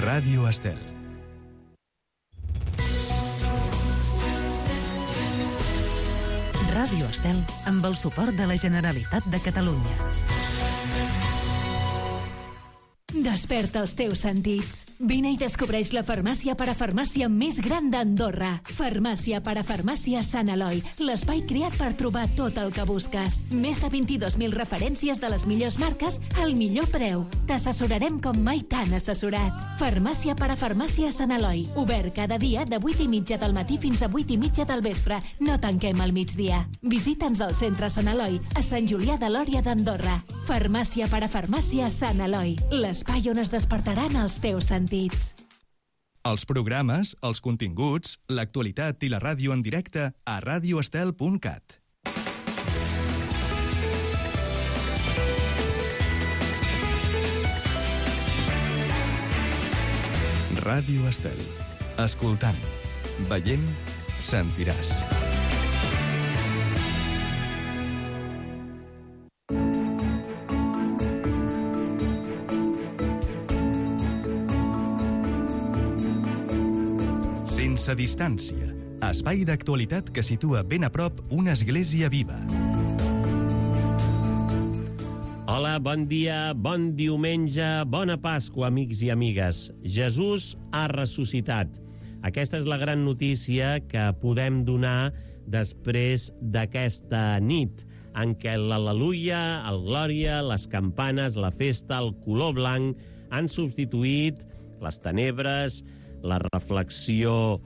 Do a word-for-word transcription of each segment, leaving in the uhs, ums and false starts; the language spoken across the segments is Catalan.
Ràdio Estel. Ràdio Estel, amb el suport de la Generalitat de Catalunya. Desperta els teus sentits. Vine i descobreix la farmàcia parafarmàcia més gran d'Andorra. Farmàcia parafarmàcia Sant Eloi, l'espai creat per trobar tot el que busques. Més de vint-i-dos mil referències de les millors marques al millor preu. T'assessorarem com mai t'han assessorat. Farmàcia parafarmàcia Sant Eloi, obert cada dia de vuit i mitja del matí fins a vuit i mitja del vespre. No tanquem al migdia. Visita'ns al centre Sant Eloi, a Sant Julià de Lòria d'Andorra. Farmàcia parafarmàcia Sant Eloi, l'espai on es despertaran els teus sentits. Els programes, els continguts, l'actualitat i la ràdio en directe a radio estel punt cat. Ràdio Estel. Escoltant, veient, sentiràs. Sense distància, espai d'actualitat que situa ben a prop una església viva. Hola, bon dia, bon diumenge, bona Pasqua, amics i amigues. Jesús ha ressuscitat. Aquesta és la gran notícia que podem donar després d'aquesta nit, en què l'al·leluia, el glòria, les campanes, la festa, el color blanc han substituït les tenebres, la reflexió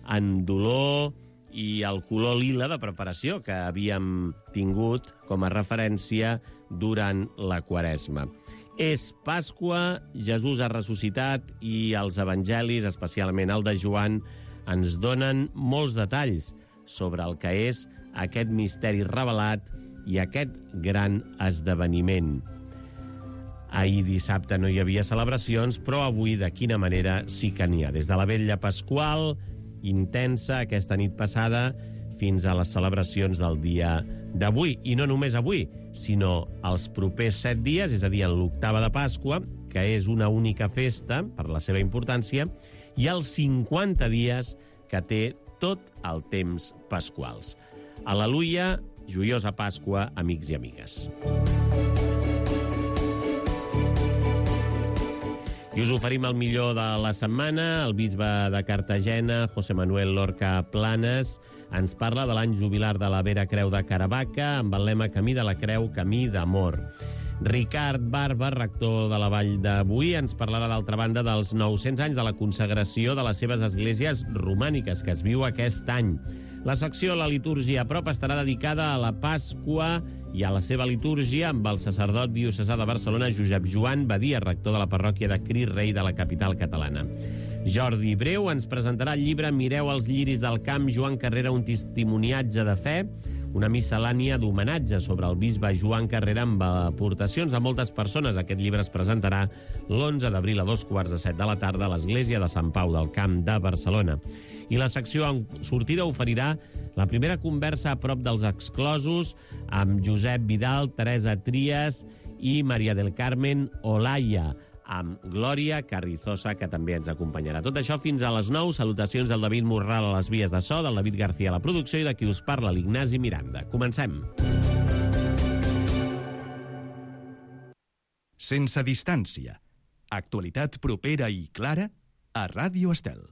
en dolor i el color lila de preparació que havíem tingut com a referència durant la Quaresma. És Pasqua, Jesús ha ressuscitat i els evangelis, especialment el de Joan, ens donen molts detalls sobre el que és aquest misteri revelat i aquest gran esdeveniment. Ahir dissabte no hi havia celebracions, però avui de quina manera sí que n'hi ha. Des de la vetlla pasqual, intensa aquesta nit passada, fins a les celebracions del dia d'avui. I no només avui, sinó els propers set dies, és a dir, en l'octava de Pasqua, que és una única festa, per la seva importància, i els cinquanta dies que té tot el temps pasquals. Al·leluia, joiosa Pasqua, amics i amigues. I us oferim el millor de la setmana. El bisbe de Cartagena, José Manuel Lorca Planes, ens parla de l'any jubilar de la Vera Creu de Caravaca amb el lema Camí de la Creu, camí d'amor. Ricard Barba, rector de la Vall de Boí, ens parlarà d'altra banda dels nou-cents anys de la consagració de les seves esglésies romàniques que es viu aquest any. La secció La litúrgia a prop estarà dedicada a la Pasqua i a la seva litúrgia amb el sacerdot diocesà de Barcelona, Josep Joan Badia, rector de la parròquia de Crist Rei de la capital catalana. Jordi Breu ens presentarà el llibre Mireu els lliris del camp, Joan Carrera, un testimoniatge de fe, una miscel·lània d'homenatge sobre el bisbe Joan Carrera amb aportacions de moltes persones. Aquest llibre es presentarà l'onze d'abril a dos quarts de set de la tarda a l'església de Sant Pau del Camp de Barcelona. I la secció en sortida oferirà la primera conversa a prop dels exclosos amb Josep Vidal, Teresa Trias i Maria del Carmen Olaya, amb Glòria Carrizosa, que també ens acompanyarà. Tot això fins a les nou. Salutacions del David Morral a les vies de so, del David García a la producció i de qui us parla, l'Ignasi Miranda. Comencem. Sense distància. Actualitat propera i clara a Ràdio Estel.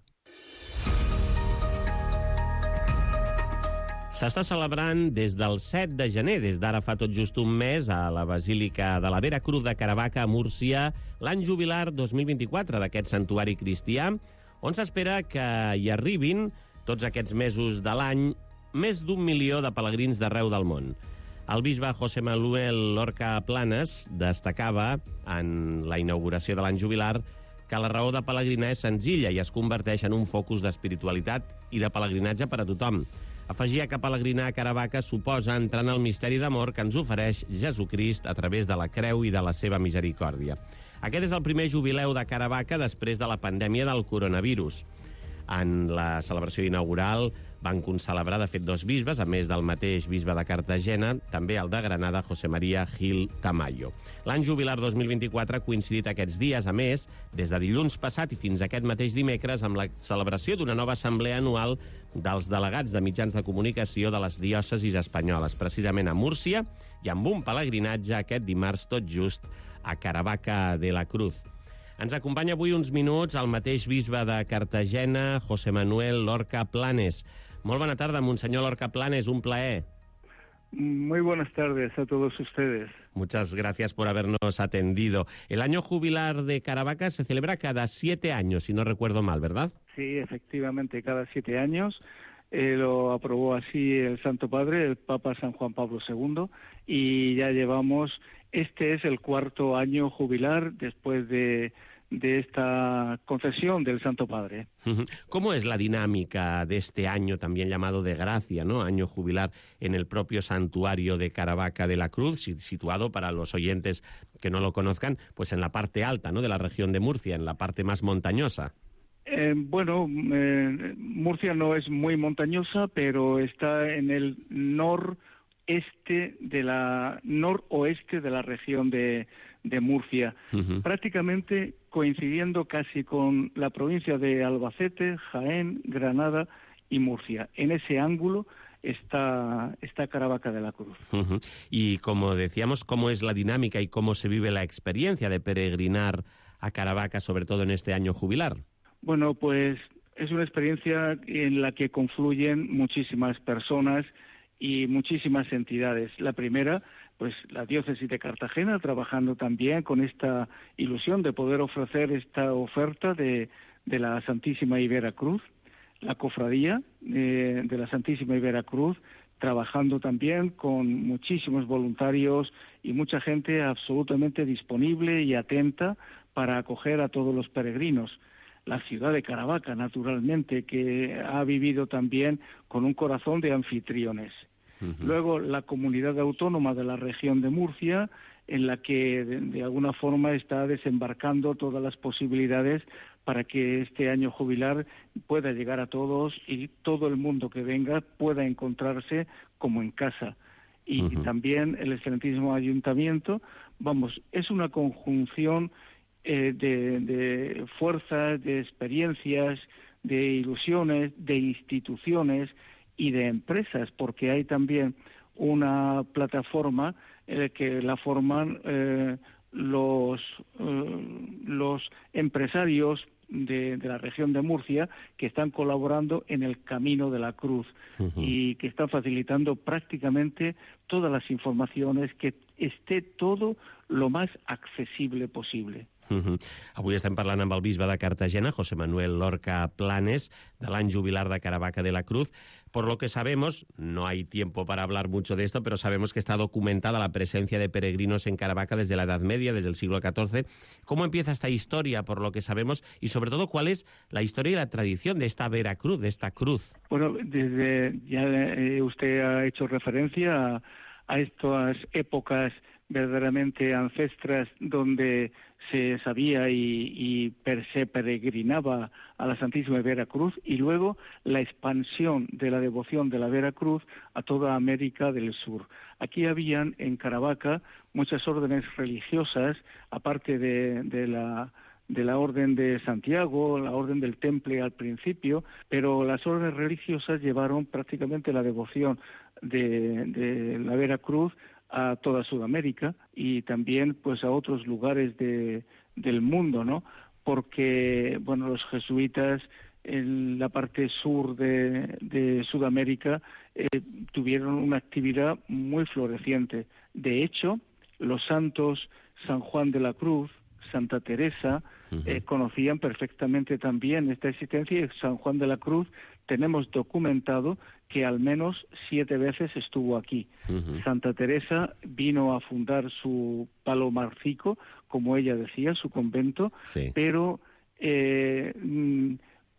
S'està celebrant des del set de gener, des d'ara fa tot just un mes, a la Basílica de la Vera Cruz de Caravaca, a Múrcia, l'any jubilar dos mil vint-i-quatre d'aquest santuari cristià, on s'espera que hi arribin, tots aquests mesos de l'any, més d'un milió de pelegrins d'arreu del món. El bisbe José Manuel Lorca Planes destacava en la inauguració de l'any jubilar que la raó de pelegrinar és senzilla i es converteix en un focus d'espiritualitat i de pelegrinatge per a tothom. Afegia que pelegrinar a Caravaca suposa entrar en el misteri d'amor que ens ofereix Jesucrist a través de la creu i de la seva misericòrdia. Aquest és el primer jubileu de Caravaca després de la pandèmia del coronavirus. En la celebració inaugural van concelebrar, de fet, dos bisbes, a més del mateix bisbe de Cartagena, també el de Granada, José María Gil Tamayo. L'any jubilar dos mil vint-i-quatre ha coincidit aquests dies, a més, des de dilluns passat i fins aquest mateix dimecres, amb la celebració d'una nova assemblea anual dels delegats de mitjans de comunicació de les diòcesis espanyoles, precisament a Múrcia, i amb un pelegrinatge aquest dimarts tot just a Caravaca de la Cruz. Ens acompanya avui uns minuts el mateix bisbe de Cartagena, José Manuel Lorca Planes. Molt bona tarda, Monsenyor Lorca Planes, un plaer. Muy buenas tardes a todos ustedes. Muchas gracias por habernos atendido. El año jubilar de Caravaca se celebra cada siete años, si no recuerdo mal, ¿verdad? Sí, efectivamente, cada siete años. Eh, lo aprobó así el Santo Padre, el Papa San Juan Pablo segundo, y ya llevamos, este es el cuarto año jubilar después de... de esta concesión del Santo Padre. ¿Cómo es la dinámica de este año también llamado de gracia, ¿no? Año jubilar en el propio santuario de Caravaca de la Cruz, situado, para los oyentes que no lo conozcan, pues en la parte alta, ¿no?, de la región de Murcia, en la parte más montañosa? Eh, bueno, eh, Murcia no es muy montañosa, pero está en el noreste de la noroeste de la región de de Murcia, uh-huh. prácticamente coincidiendo casi con la provincia de Albacete, Jaén, Granada y Murcia. En ese ángulo está, está Caravaca de la Cruz. Uh-huh. Y como decíamos, ¿cómo es la dinámica y cómo se vive la experiencia de peregrinar a Caravaca, sobre todo en este año jubilar? Bueno, pues es una experiencia en la que confluyen muchísimas personas y muchísimas entidades. La primera, pues la diócesis de Cartagena, trabajando también con esta ilusión de poder ofrecer esta oferta de, de la Santísima Ibera Cruz, la cofradía eh, de la Santísima Ibera Cruz, trabajando también con muchísimos voluntarios y mucha gente absolutamente disponible y atenta para acoger a todos los peregrinos. La ciudad de Caravaca, naturalmente, que ha vivido también con un corazón de anfitriones. Uh-huh. Luego, la comunidad autónoma de la región de Murcia, en la que de, de alguna forma está desembarcando todas las posibilidades para que este año jubilar pueda llegar a todos y todo el mundo que venga pueda encontrarse como en casa. Y uh-huh. también el excelentísimo ayuntamiento, vamos, es una conjunción eh, de, de fuerzas, de experiencias, de ilusiones, de instituciones y de empresas, porque hay también una plataforma eh, que la forman eh, los, eh, los empresarios de, de la región de Murcia que están colaborando en el Camino de la Cruz uh-huh. y que están facilitando prácticamente todas las informaciones, que esté todo lo más accesible posible. Uh-huh. Avui estem parlant amb el bisbe de Cartagena, José Manuel Lorca Planes, de l'any jubilar de Caravaca de la Cruz. Por lo que sabemos, no hay tiempo para hablar mucho de esto, pero sabemos que está documentada la presencia de peregrinos en Caravaca desde la Edad Media, desde el siglo catorce. ¿Cómo empieza esta historia, por lo que sabemos? Y sobre todo, ¿cuál es la historia y la tradición de esta Veracruz, de esta cruz? Bueno, desde ya eh, usted ha hecho referencia a, a estas épocas verdaderamente ancestras donde se sabía y, y per se peregrinaba a la Santísima Veracruz, y luego la expansión de la devoción de la Veracruz a toda América del Sur. Aquí habían en Caravaca muchas órdenes religiosas, aparte de, de la de la Orden de Santiago, la Orden del Temple al principio, pero las órdenes religiosas llevaron prácticamente la devoción de, de la Veracruz a toda Sudamérica y también pues a otros lugares de, del mundo, ¿no? Porque, bueno, los jesuitas en la parte sur de, de Sudamérica eh, tuvieron una actividad muy floreciente. De hecho, los santos San Juan de la Cruz, Santa Teresa, uh-huh. eh, conocían perfectamente también esta existencia, y San Juan de la Cruz tenemos documentado que al menos siete veces estuvo aquí. Uh-huh. Santa Teresa vino a fundar su palomarcico, como ella decía, su convento, sí. pero eh,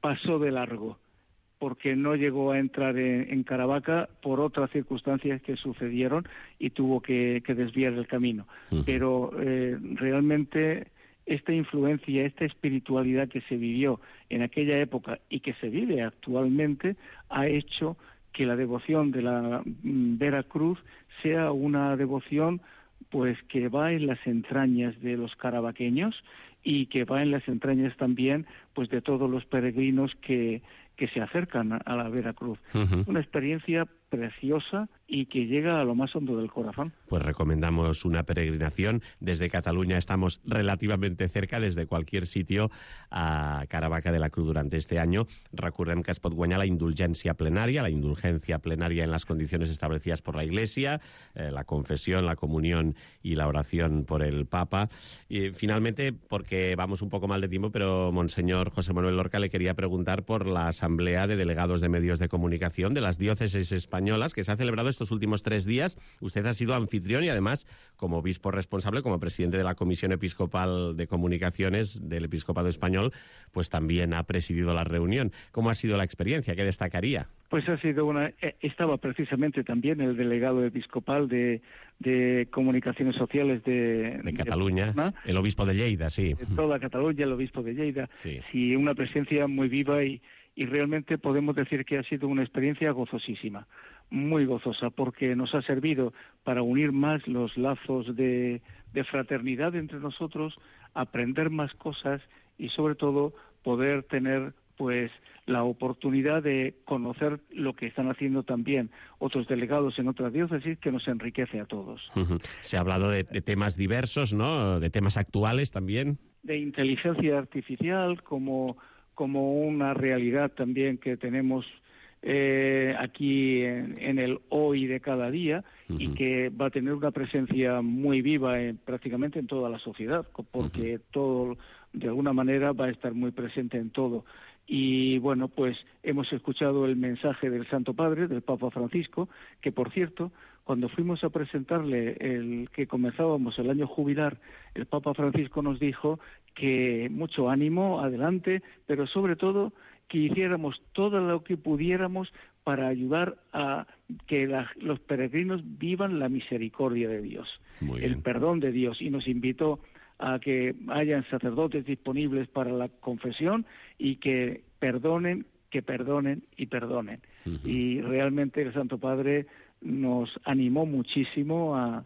pasó de largo, porque no llegó a entrar en, en Caravaca por otras circunstancias que sucedieron y tuvo que, que desviar el camino. Uh-huh. Pero eh, realmente esta influencia, esta espiritualidad que se vivió en aquella época y que se vive actualmente, ha hecho que la devoción de la Veracruz sea una devoción pues que va en las entrañas de los carabaqueños y que va en las entrañas también pues de todos los peregrinos que, que se acercan a la Veracruz. Uh-huh. Una experiencia preciosa y que llega a lo más hondo del corazón. Pues recomendamos una peregrinación. Desde Cataluña estamos relativamente cerca, desde cualquier sitio, a Caravaca de la Cruz durante este año. Recordem que es pot guanyar la indulgencia plenaria, la indulgencia plenaria en las condiciones establecidas por la Iglesia, eh, la confesión, la comunión y la oración por el Papa. Y finalmente, porque vamos un poco mal de tiempo, pero Monseñor José Manuel Lorca le quería preguntar por la Asamblea de Delegados de Medios de Comunicación de las Diócesis Españolas, que se ha celebrado estos últimos tres días. Usted ha sido anfitrión y además, como obispo responsable, como presidente de la Comisión Episcopal de Comunicaciones del Episcopado Español, pues también ha presidido la reunión. ¿Cómo ha sido la experiencia? ¿Qué destacaría? Pues ha sido una... Estaba precisamente también el delegado episcopal de, de Comunicaciones Sociales de... De Cataluña, de, el obispo de Lleida, sí. De toda Cataluña, el obispo de Lleida. Sí, sí, una presencia muy viva y, y realmente podemos decir que ha sido una experiencia gozosísima, muy gozosa, porque nos ha servido para unir más los lazos de, de fraternidad entre nosotros, aprender más cosas y sobre todo poder tener pues la oportunidad de conocer lo que están haciendo también otros delegados en otras diócesis, que nos enriquece a todos. Uh-huh. Se ha hablado de, de temas diversos, ¿no? De temas actuales también. De inteligencia artificial como, como una realidad también que tenemos eh, aquí en, en el hoy de cada día, uh-huh, y que va a tener una presencia muy viva en, prácticamente en toda la sociedad, porque uh-huh, todo de alguna manera va a estar muy presente en todo. Y bueno, pues hemos escuchado el mensaje del Santo Padre, del Papa Francisco, que por cierto, cuando fuimos a presentarle el que comenzábamos el año jubilar, el Papa Francisco nos dijo que mucho ánimo, adelante, pero sobre todo que hiciéramos todo lo que pudiéramos para ayudar a que la, los peregrinos vivan la misericordia de Dios, el perdón de Dios, y nos invitó a que hayan sacerdotes disponibles para la confesión y que perdonen, que perdonen y perdonen. Uh-huh. Y realmente el Santo Padre nos animó muchísimo a,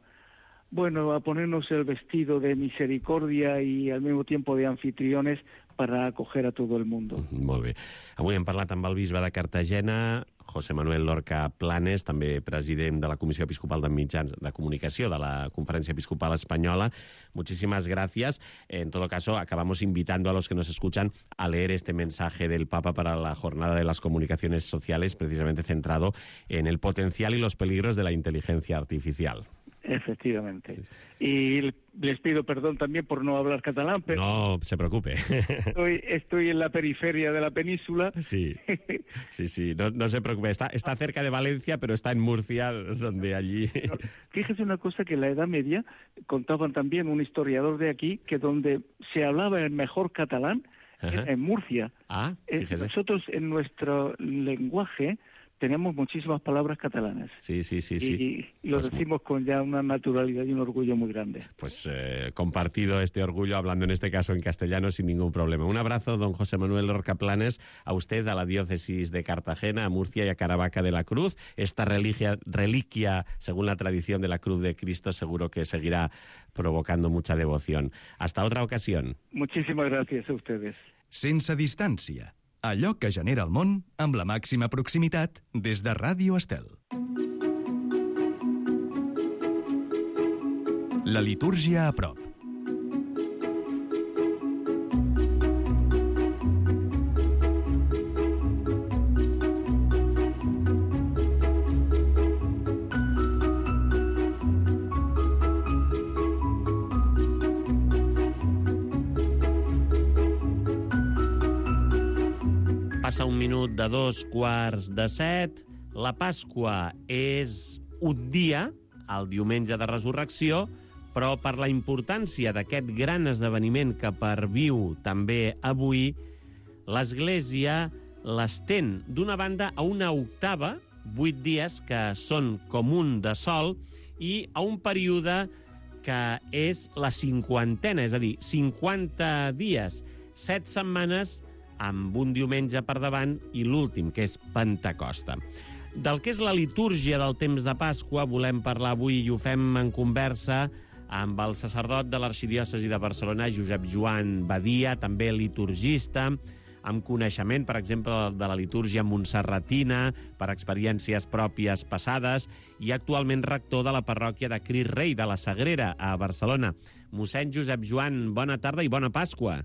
bueno, a ponernos el vestido de misericordia y al mismo tiempo de anfitriones para acoger a todo el mundo. Molt bé. Avui hem parlat amb el bisbe de Cartagena, José Manuel Lorca Planes, també president de la Comissió Episcopal de Mitjans de Comunicació de la Conferencia Episcopal Española. Muchísimas gracias. En todo caso, acabamos invitando a los que nos escuchan a leer este mensaje del Papa para la Jornada de las Comunicaciones Sociales, precisamente centrado en el potencial y los peligros de la inteligencia artificial. Efectivamente. Y les pido perdón también por no hablar catalán, pero... No se preocupe. Estoy, estoy en la periferia de la península. Sí, sí, sí, no, no se preocupe. Está, está cerca de Valencia, pero está en Murcia, donde allí... No, fíjese una cosa, que en la Edad Media contaban también un historiador de aquí, que donde se hablaba el mejor catalán era en Murcia. Ah, fíjese. Nosotros en nuestro lenguaje tenemos muchísimas palabras catalanas. Sí, sí, sí. sí. Y lo pues, decimos con ya una naturalidad y un orgullo muy grande. Pues eh, compartido este orgullo, hablando en este caso en castellano sin ningún problema. Un abrazo, don José Manuel Lorca Planes, a usted, a la diócesis de Cartagena, a Murcia y a Caravaca de la Cruz. Esta religia, reliquia, según la tradición de la Cruz de Cristo, seguro que seguirá provocando mucha devoción. Hasta otra ocasión. Muchísimas gracias a ustedes. Sense distància. Allò que genera el món amb la màxima proximitat des de Ràdio Estel. La litúrgia a prop. Passa un minut de dos quarts de set. La Pasqua és un dia, el diumenge de Resurrecció, però per la importància d'aquest gran esdeveniment que perviu també avui, l'Església l'estén d'una banda a una octava, vuit dies que són com un de sol, i a un període que és la cinquantena, és a dir, cinquanta dies, set setmanes, amb un diumenge per davant i l'últim, que és Pentecosta. Del que és la litúrgia del temps de Pasqua volem parlar avui i ho fem en conversa amb el sacerdot de l'Arxidiòcesi de Barcelona, Josep Joan Badia, també liturgista, amb coneixement, per exemple, de la litúrgia montserratina, per experiències pròpies passades, i actualment rector de la parròquia de Crist Rei de la Sagrera, a Barcelona. Mossèn Josep Joan, bona tarda i bona Pasqua.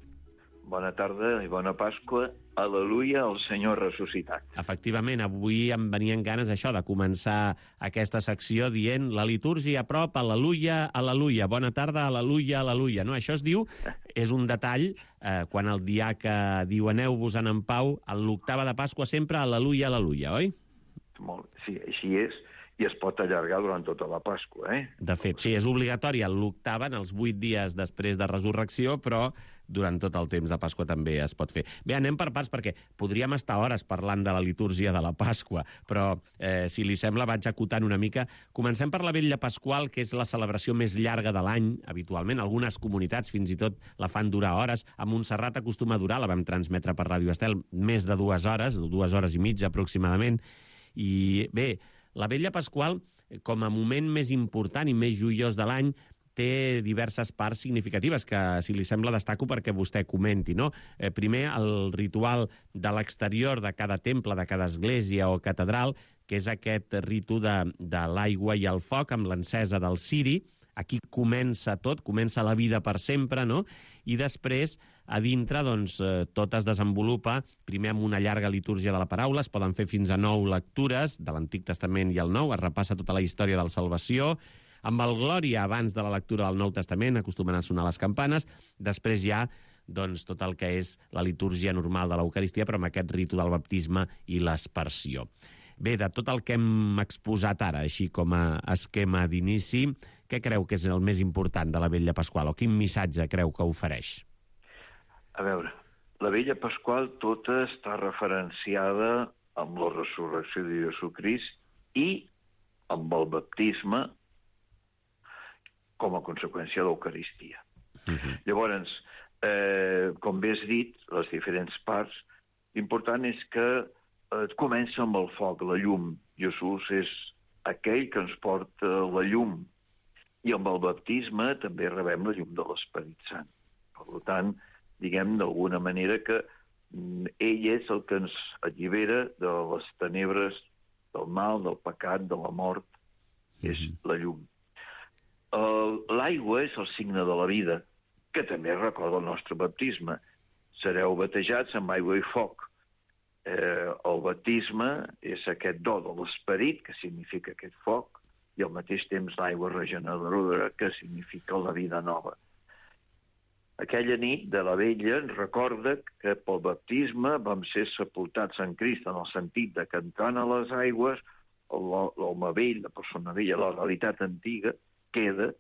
Bona tarda i bona Pasqua. Aleluia, el Senyor ressuscitat. Efectivament, avui em venien ganes això de començar aquesta secció dient la litúrgia a prop, aleluia, aleluia, bona tarda, aleluia, aleluia. No? Això es diu, és un detall, eh, quan el diaca diu aneu-vos-en en pau, a l'octava de Pasqua sempre aleluia, aleluia, oi? Molt, sí, així és, i es pot allargar durant tota la Pasqua, eh? De fet, sí, és obligatori l'octava en els vuit dies després de resurrecció, però durant tot el temps de Pasqua també es pot fer. Bé, anem per parts, perquè podríem estar hores parlant de la litúrgia de la Pasqua, però, eh, si li sembla, vaig acotant una mica. Comencem per la Vetlla Pasqual, que és la celebració més llarga de l'any, habitualment. Algunes comunitats fins i tot la fan durar hores. A Montserrat acostuma a durar, la vam transmetre per Ràdio Estel, més de dues hores, dues hores i mitja aproximadament. I bé, la Vetlla Pasqual, com a moment més important i més joiós de l'any, té diverses parts significatives que, si li sembla, destaco perquè vostè comenti, no? Eh, primer, el ritual de l'exterior de cada temple, de cada església o catedral, que és aquest ritu de, de l'aigua i el foc amb l'encesa del ciri. Aquí comença tot, comença la vida per sempre, no? I després, a dintre, doncs, eh, tot es desenvolupa, primer amb una llarga litúrgia de la paraula, es poden fer fins a nou lectures de l'Antic Testament i el Nou, es repassa tota la història de la salvació, amb el Glòria abans de la lectura del Nou Testament, acostumen a sonar les campanes, després ja doncs, tot el que és la litúrgia normal de l'Eucaristia, però amb aquest ritu del baptisme i l'aspersió. Bé, de tot el que hem exposat ara, així com a esquema d'inici, què creu que és el més important de la Vetlla Pasqual, o quin missatge creu que ofereix? A veure, la Vetlla Pasqual tota està referenciada amb la resurrecció de Jesucrist i amb el baptisme com a conseqüència de l'Eucaristia. Uh-huh. Llavors, eh, com bé has dit, les diferents parts, l'important és que eh, comença amb el foc, la llum. Jesús és aquell que ens porta la llum. I amb el baptisme també rebem la llum de l'Esperit Sant. Per tant, diguem d'alguna manera que mm, ell és el que ens allibera de les tenebres, del mal, del pecat, de la mort. Uh-huh. És la llum. L'aigua és el signe de la vida, que també recorda el nostre baptisme. Sereu batejats amb aigua i foc. Eh, el baptisme és aquest do de l'esperit, que significa aquest foc, i al mateix temps l'aigua regeneradora, que significa la vida nova. Aquella nit de la Vetlla ens recorda que pel baptisme vam ser sepultats en Crist, en el sentit de que entrant a les aigües, l'home vell, la persona vella, la realitat antiga, queda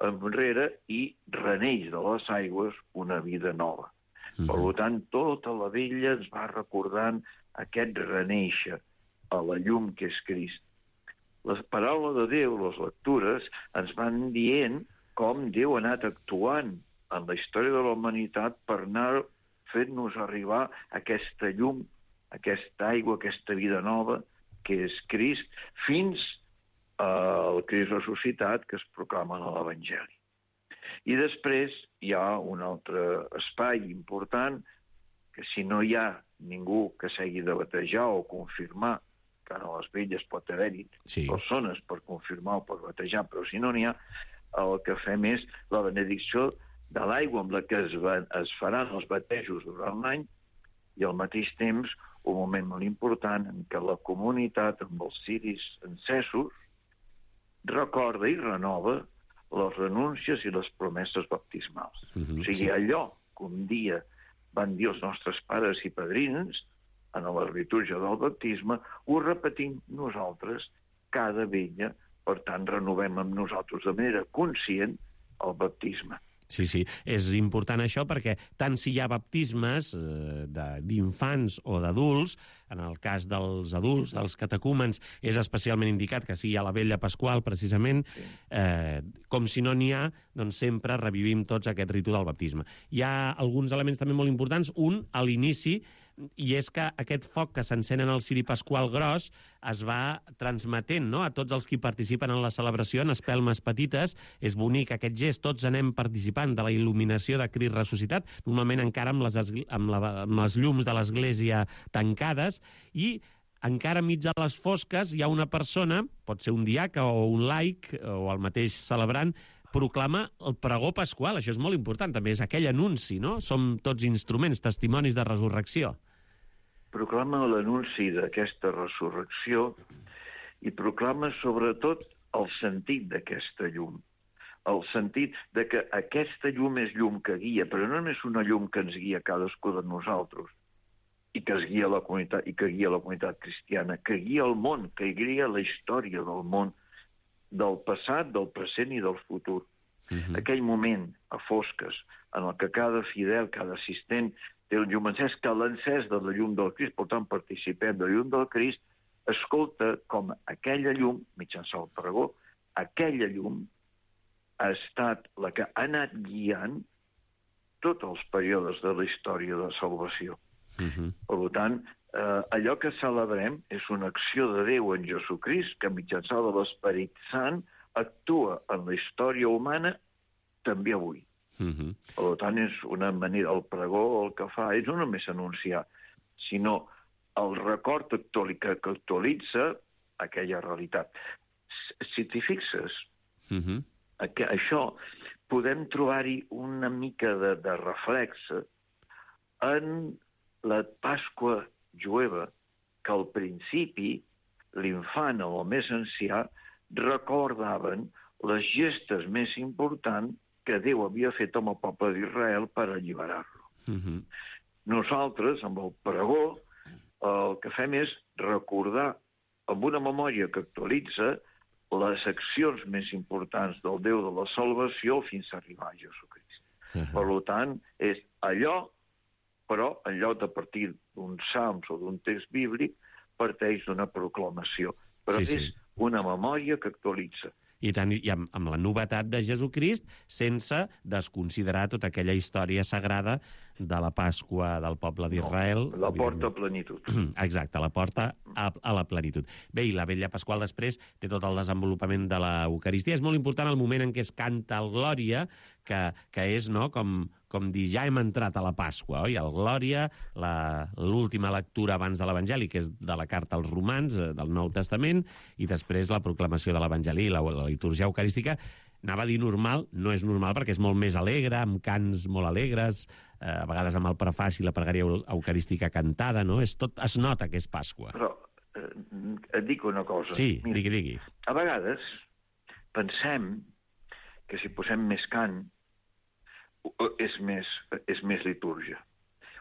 enrere i reneix de les aigües una vida nova. Mm-hmm. Per tant, tota la Vetlla ens va recordant aquest renéixer a la llum que és Crist. Les paraules de Déu, les lectures, ens van dient com Déu ha anat actuant en la història de la humanitat per anar fent-nos arribar aquesta llum, aquesta aigua, aquesta vida nova, que és Crist, fins el Crist ressuscitat que es proclama a l'Evangeli. I després hi ha un altre espai important que si no hi ha ningú que s'hagi de batejar o confirmar, que a les Vetlles pot haver-hi sí. persones per confirmar o per batejar, però si no n'hi ha, el que fem és la benedicció de l'aigua amb la que es, va, es faran els batejos durant l'any i al mateix temps un moment molt important en què la comunitat amb els ciris encesos recorda i renova les renúncies i les promeses baptismals. Mm-hmm, o sigui, sí. allò que un dia van dir els nostres pares i padrins en la litúrgia del baptisme, ho repetim nosaltres cada vetlla, per tant renovem amb nosaltres de manera conscient el baptisme. Sí, sí, és important això perquè tant si hi ha baptismes eh, d'infants o d'adults, en el cas dels adults, dels catecúmens, és especialment indicat que sigui a la Vetlla Pasqual, precisament, eh, com si no n'hi ha, doncs sempre revivim tots aquest ritu del baptisme. Hi ha alguns elements també molt importants. Un, a l'inici, i és que aquest foc que s'encén en el ciri pasqual gros es va transmetent, no?, a tots els qui participen en la celebració en espelmes petites. És bonic aquest gest, tots anem participant de la il·luminació de Crist ressuscitat, normalment encara amb les, amb la, amb les llums de l'església tancades, i encara mig a les fosques hi ha una persona, pot ser un diaca o un laic o el mateix celebrant, proclama el pregó pasqual. Això és molt important, també és aquell anunci, no? Som tots instruments, testimonis de resurrecció. Proclama l'anunci d'aquesta resurrecció i proclama sobretot el sentit d'aquesta llum. El sentit de que aquesta llum és llum que guia, però no és una llum que ens guia cadascú de nosaltres i que es guia la comunitat, i que guia la comunitat cristiana, que guia el món, que guia la història del món, del passat, del present i del futur. Uh-huh. Aquell moment a fosques en el que cada fidel, cada assistent té el llum encès, que l'encès de la llum del Crist, per tant participem de la llum del Crist, escolta com aquella llum, mitjançant el pregó, aquella llum ha estat la que ha anat guiant tots els períodes de la història de salvació. Uh-huh. Per tant, eh, allò que celebrem és una acció de Déu en Jesucrist que mitjançant de l'Esperit Sant actua en la història humana també avui. Uh-huh. Per tant, és una manera, el pregó el que fa és no només anunciar, sinó el record actual, que, que actualitza aquella realitat. Si t'hi fixes, uh-huh. que això podem trobar-hi una mica de, de reflex en la Pasqua jueva, que al principi l'infant o el més ancià recordaven les gestes més importants que Déu havia fet amb el poble d'Israel per alliberar-lo. Uh-huh. Nosaltres, amb el pregó, el que fem és recordar amb una memòria que actualitza les accions més importants del Déu de la salvació fins a arribar a Jesucrist. Uh-huh. Per tant, és allò, però en lloc de partir d'un salms o d'un text bíblic, parteix d'una proclamació. Però sí, és sí. una memòria que actualitza. I tant, i amb, amb la novetat de Jesucrist, sense desconsiderar tota aquella història sagrada de la Pasqua del poble d'Israel. No, la porta a plenitud. Exacte, la porta a, a la plenitud. Bé, i la Vetlla Pasqual després té tot el desenvolupament de l'Eucaristia. És molt important el moment en què es canta el Glòria, que, que és, no?, com, com dir, ja hem entrat a la Pasqua, oi? El Glòria, l'última lectura abans de l'Evangeli, que és de la carta als Romans, del Nou Testament, i després la proclamació de l'Evangeli, la, la litúrgia eucarística. Anava a dir normal, no és normal perquè és molt més alegre, amb cants molt alegres, eh, a vegades amb el prefaci i la pregària eucarística cantada, no? És tot, es nota que és Pasqua. Però eh, et dic una cosa. Sí, Mira, digui, digui. A vegades pensem que si posem més cant és més, és més litúrgia,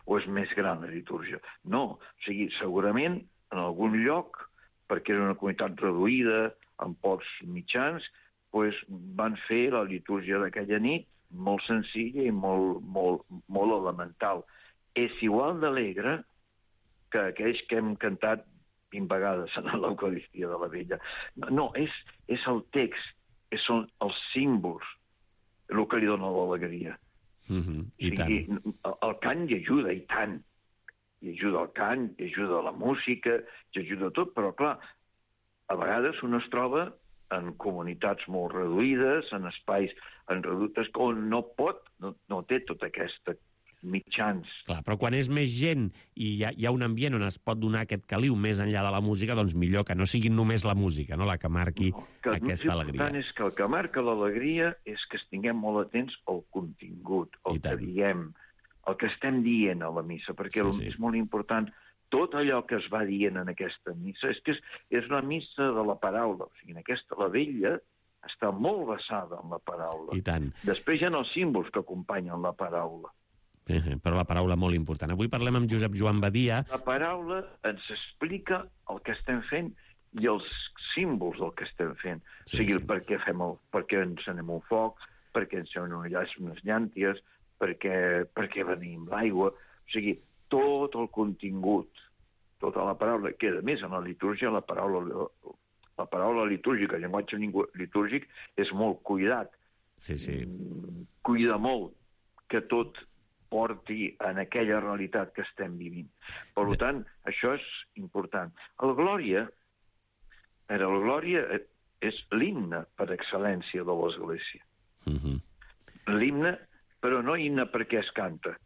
o és més gran la litúrgia. No, o sigui, segurament en algun lloc, perquè era una comunitat reduïda, amb pocs mitjans, pues, van fer la litúrgia d'aquella nit molt senzilla i molt, molt, molt elemental. És igual d'alegre que aquells que hem cantat vint vegades en l'Eucaristia de la Vella. No, és, és el text, és, són els símbols, el que li dona l'alegria. Mm-hmm. I tant. I, el cant hi ajuda, i tant. Hi ajuda el cant, hi ajuda la música, hi ajuda tot, però clar, a vegades un es troba en comunitats molt reduïdes, en espais en reductes, on no pot, no, no té tota aquesta mitjans. Clar, però quan és més gent i hi ha, hi ha un ambient on es pot donar aquest caliu més enllà de la música, doncs millor que no sigui només la música, no?, la que marqui no, que aquesta alegria. El que és que el que marca l'alegria és que estiguem molt atents al contingut, al que diem, el que estem dient a la missa, perquè sí, sí. és molt important tot allò que es va dient en aquesta missa. És que és, és la missa de la paraula, o sigui, en aquesta la Vella està molt basada en la paraula. I tant. Després hi ha els símbols que acompanyen la paraula. Eh, però la paraula molt important. Avui parlem amb Josep Joan Badia. La paraula ens explica el que estem fent i els símbols del que estem fent. Sí, o sigui, sí. per què fem el, per què encenem un foc, perquè ens són unes llànties, perquè, perquè venim l'aigua. O sigui, tot el contingut, tota la paraula, que a més en la litúrgia, la paraula, la paraula litúrgica, el llenguatge litúrgic és molt cuidat. Sí, sí. Cuida molt que tot porti en aquella realitat que estem vivint. Per tant, això és important. El Glòria, el Glòria és l'himne per excel·lència de l'Església. Uh-huh. L'himne, però no himne perquè es canta.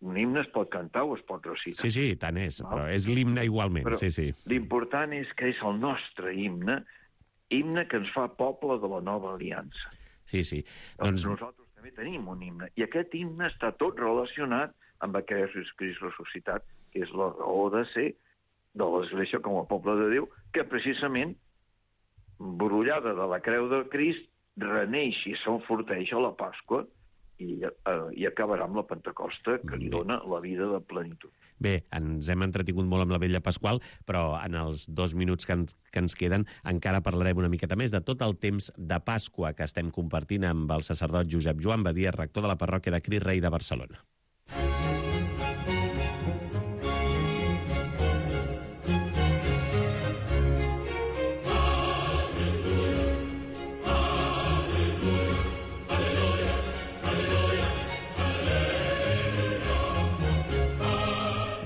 Un himne es pot cantar o es pot recitar. Sí, sí, tant és, però és l'himne igualment. Però sí, sí. L'important és que és el nostre himne, himne que ens fa poble de la nova aliança. Sí, sí. Doncs... Nosaltres també tenim un himne, i aquest himne està tot relacionat amb aquest Crist ressuscitat, que és la raó de ser de l'Església com a poble de Déu, que precisament, brollada de la creu de Crist, reneix i s'enforteix a la Pasqua, i, eh, i acabarà amb la Pentecosta, que li dona la vida de plenitud. Bé, ens hem entretingut molt amb la Vetlla Pasqual, però en els dos minuts que, en, que ens queden encara parlarem una miqueta més de tot el temps de Pasqua que estem compartint amb el sacerdot Josep Joan Badia, rector de la parròquia de Crist Rei de Barcelona.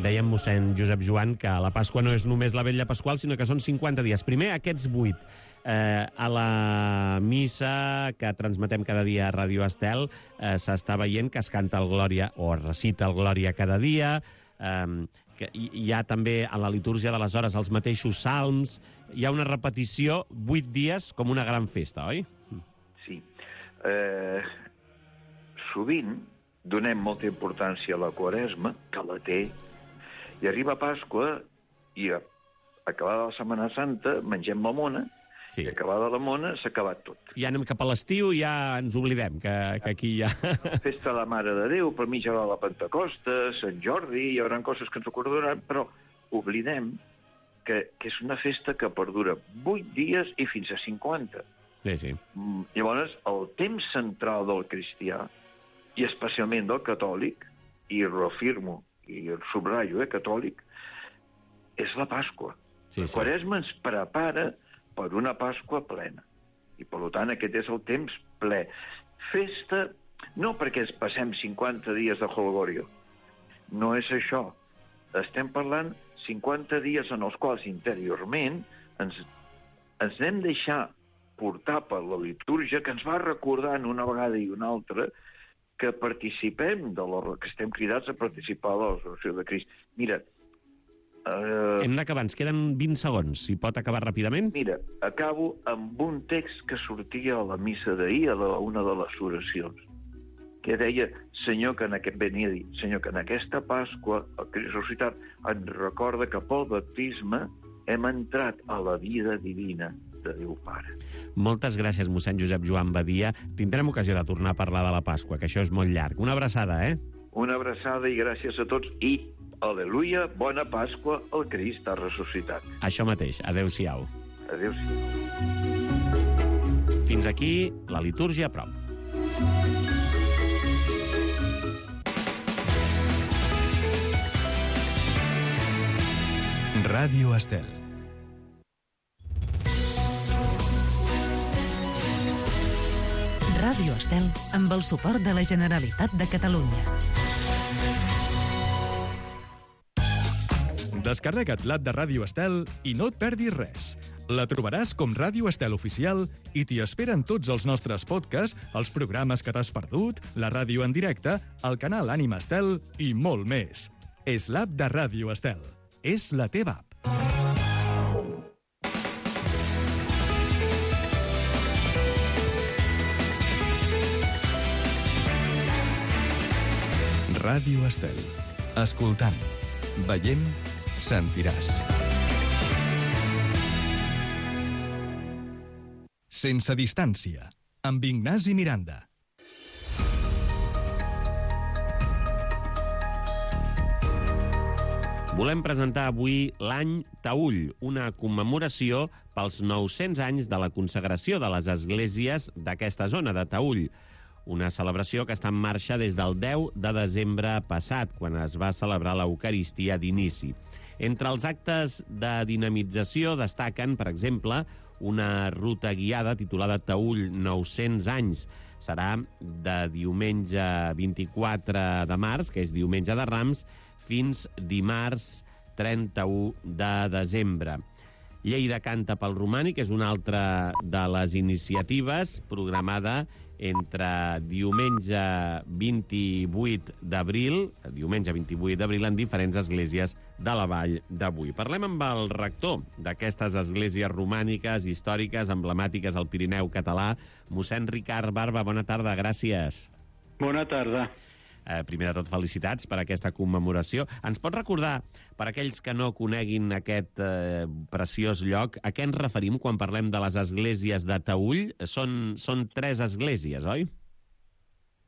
Dèiem, mossèn Josep Joan, que la Pasqua no és només la Vetlla Pasqual, sinó que són cinquanta dies. Primer, aquests vuit. Eh, a la missa que transmetem cada dia a Ràdio Estel eh, s'està veient que es canta el Glòria o es recita el Glòria cada dia. Eh, que hi ha també a la litúrgia de les hores els mateixos salms. Hi ha una repetició vuit dies com una gran festa, oi? Sí. Eh, sovint donem molta importància a la Quaresma, que la té, i arriba Pasqua i acabada la Setmana Santa mengem la mona, sí. I acabada la mona s'ha acabat tot. Ja anem cap a l'estiu i ja ens oblidem que, que aquí hi ha... Festa de la Mare de Déu, per mi ja va la Pentecosta, Sant Jordi, hi haurà coses que ens recordaran, però oblidem que, que és una festa que perdura vuit dies i fins a cinquanta. Sí, sí. Llavors, el temps central del cristià, i especialment del catòlic, i reafirmo, i el subratllo, eh, catòlic, és la Pasqua. Sí, sí. La Quaresma ens prepara per una Pasqua plena. I, per tant, aquest és el temps ple. Festa, no perquè ens passem cinquanta dies de Holgorio. No és això. Estem parlant cinquanta dies en els quals interiorment ens, ens anem deixar portar per la litúrgia que ens va recordant una vegada i una altra que participem, de la, que estem cridats a participar de la resurrecció de Crist. Mira... Uh, Hem d'acabar, ens queden vint segons, si pot acabar ràpidament. Mira, acabo amb un text que sortia a la missa d'ahir, a la, una de les oracions, que deia, Senyor, que en aquest venia a dir, Senyor, que en aquesta Pasqua, el Crist ressuscitat, ens recorda que pel baptisme hem entrat a la vida divina de Déu Pare. Moltes gràcies, mossèn Josep Joan Badia. Tindrem ocasió de tornar a parlar de la Pasqua, que això és molt llarg. Una abraçada, eh? Una abraçada i gràcies a tots. I, aleluia, bona Pasqua, el Crist ha ressuscitat. Això mateix. Adéu-siau. Adéu-siau. Fins aquí la litúrgia a prop. Ràdio Estel. Ràdio Estel, amb el suport de la Generalitat de Catalunya. Descarrega't l'app de Ràdio Estel i no et perdis res. La trobaràs com Ràdio Estel Oficial i t'hi esperen tots els nostres podcasts, els programes que t'has perdut, la ràdio en directe, el canal Ànima Estel i molt més. És l'app de Ràdio Estel. És la teva app. Ràdio Estel. Escoltant, veient, sentiràs. Sense distància, amb Ignasi Miranda. Volem presentar avui l'any Taüll, una commemoració pels nou-cents anys de la consagració de les esglésies d'aquesta zona de Taüll. una celebració que està en marxa des del deu de desembre passat, quan es va celebrar l'Eucaristia d'inici. Entre els actes de dinamització destaquen, per exemple, una ruta guiada titulada Taüll nou-cents anys. Serà de diumenge vint-i-quatre de març, que és diumenge de Rams, fins dimarts trenta-u de desembre. Lleida canta pel romànic és una altra de les iniciatives programada entre diumenge vint-i-vuit d'abril, diumenge vint-i-vuit d'abril en diferents esglésies de la Vall d'Avui. Parlem amb el rector d'aquestes esglésies romàniques, històriques, emblemàtiques al Pirineu català, mossèn Ricard Barba. Bona tarda, gràcies. Bona tarda. Eh, primer de tot, felicitats per aquesta commemoració. Ens pot recordar, per aquells que no coneguin aquest eh, preciós lloc, a què ens referim quan parlem de les esglésies de Taüll? Són, són tres esglésies, oi?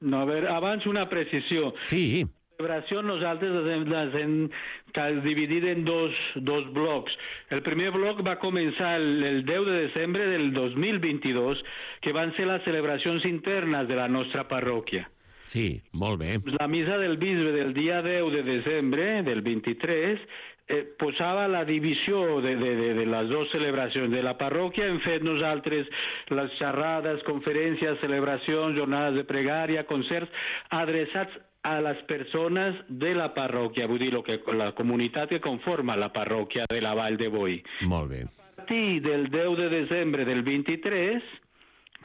No, a veure, abans una precisió. Sí. La celebració nosaltres les hem, les hem dividit en dos, dos blocs. El primer bloc va començar el, el deu de desembre del dos mil vint-i-dos, que van ser les celebracions internes de la nostra parròquia. Sí, molt bé. La missa del bisbe del dia deu de desembre del vint-i-tres eh, posava la divisió de, de, de, de les dues celebracions de la parròquia. Hem fet nosaltres les xerrades, conferències, celebracions, jornades de pregària, concerts adreçats a les persones de la parròquia, vull dir, lo que, la comunitat que conforma la parròquia de la Vall de Boí. Molt bé. A partir del deu de desembre del vint-i-tres,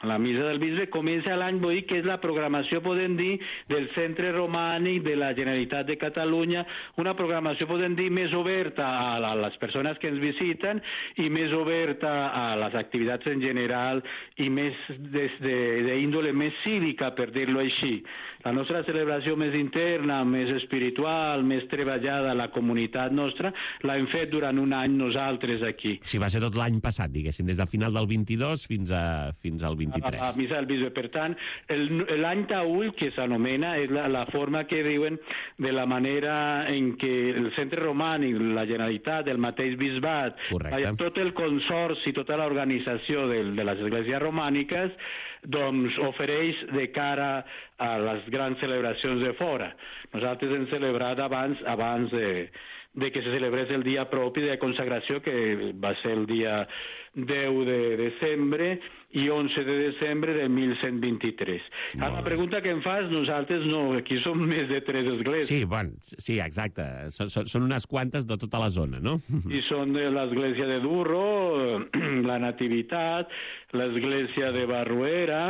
la missa del bisbe comença l'any Boí, que és la programació, podem dir, del Centre Romànic de la Generalitat de Catalunya, una programació, podem dir, més oberta a les persones que ens visiten i més oberta a les activitats en general i més des d'índole més cívica, per dir-ho així. La nostra celebració més interna, més espiritual, més treballada a la comunitat nostra, l'hem fet durant un any nosaltres aquí. Sí, va ser tot l'any passat, diguéssim, des del final del vint-i-dos fins, a, fins al vint-i-tres. A, a missa del bisbe. Per tant, l'any Taüll, que s'anomena, és la, la forma que diuen de la manera en què el Centre Romànic, la Generalitat, el mateix bisbat, tot el consorci, tota l'organització de, de les esglésies romàniques, doncs ofereix de cara a les grans celebracions de fora. Nosaltres hem celebrat abans, abans de, de que se celebrés el dia propi de consagració, que va ser el dia deu de desembre i onze de desembre de mil cent vint-i-tres. A la pregunta que em fas, nosaltres no, aquí som més de tres esglésies. Sí, bueno, sí, exacte. Són, són unes quantes de tota la zona, no? I són de l'església de Durro, la Nativitat, l'església de Barruera,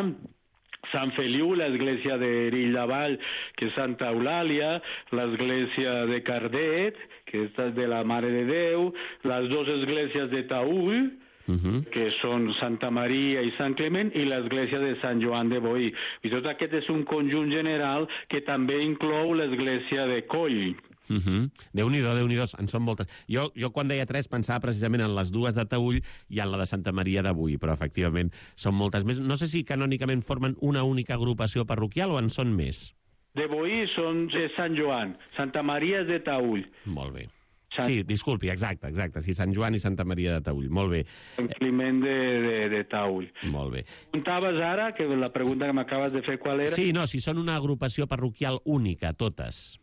Sant Feliu, l'església de Rill-Davall, que és Santa Eulàlia, l'església de Cardet, que és de la Mare de Déu, les dues esglésies de Taüll, Uh-huh. que són Santa Maria i Sant Clement, i l'església de Sant Joan de Boí. I tot aquest és un conjunt general que també inclou l'església de Coll. Uh-huh. Déu-n'hi-do, Déu-n'hi-do, en són moltes. Jo, jo quan deia tres pensava precisament en les dues de Taüll i en la de Santa Maria de Boí, però efectivament són moltes més. No sé si canònicament formen una única agrupació parroquial o en són més. De Boí són Sant Joan, Santa Maria és de Taüll. Molt bé. Sant... Sí, disculpi, exacte, exacte. Sí, Sant Joan i Santa Maria de Taüll. Molt bé. Sant Climent de, de, de Taüll. Molt bé. Preguntaves ara, que la pregunta que m'acabes de fer, qual era? Sí, no, si són una agrupació parroquial única, totes.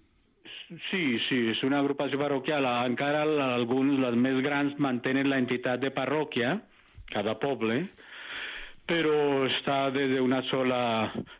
Sí, sí, és una agrupació parroquial. Encara alguns, les més grans, mantenen la entitat de parròquia, cada poble, però està des d'una sola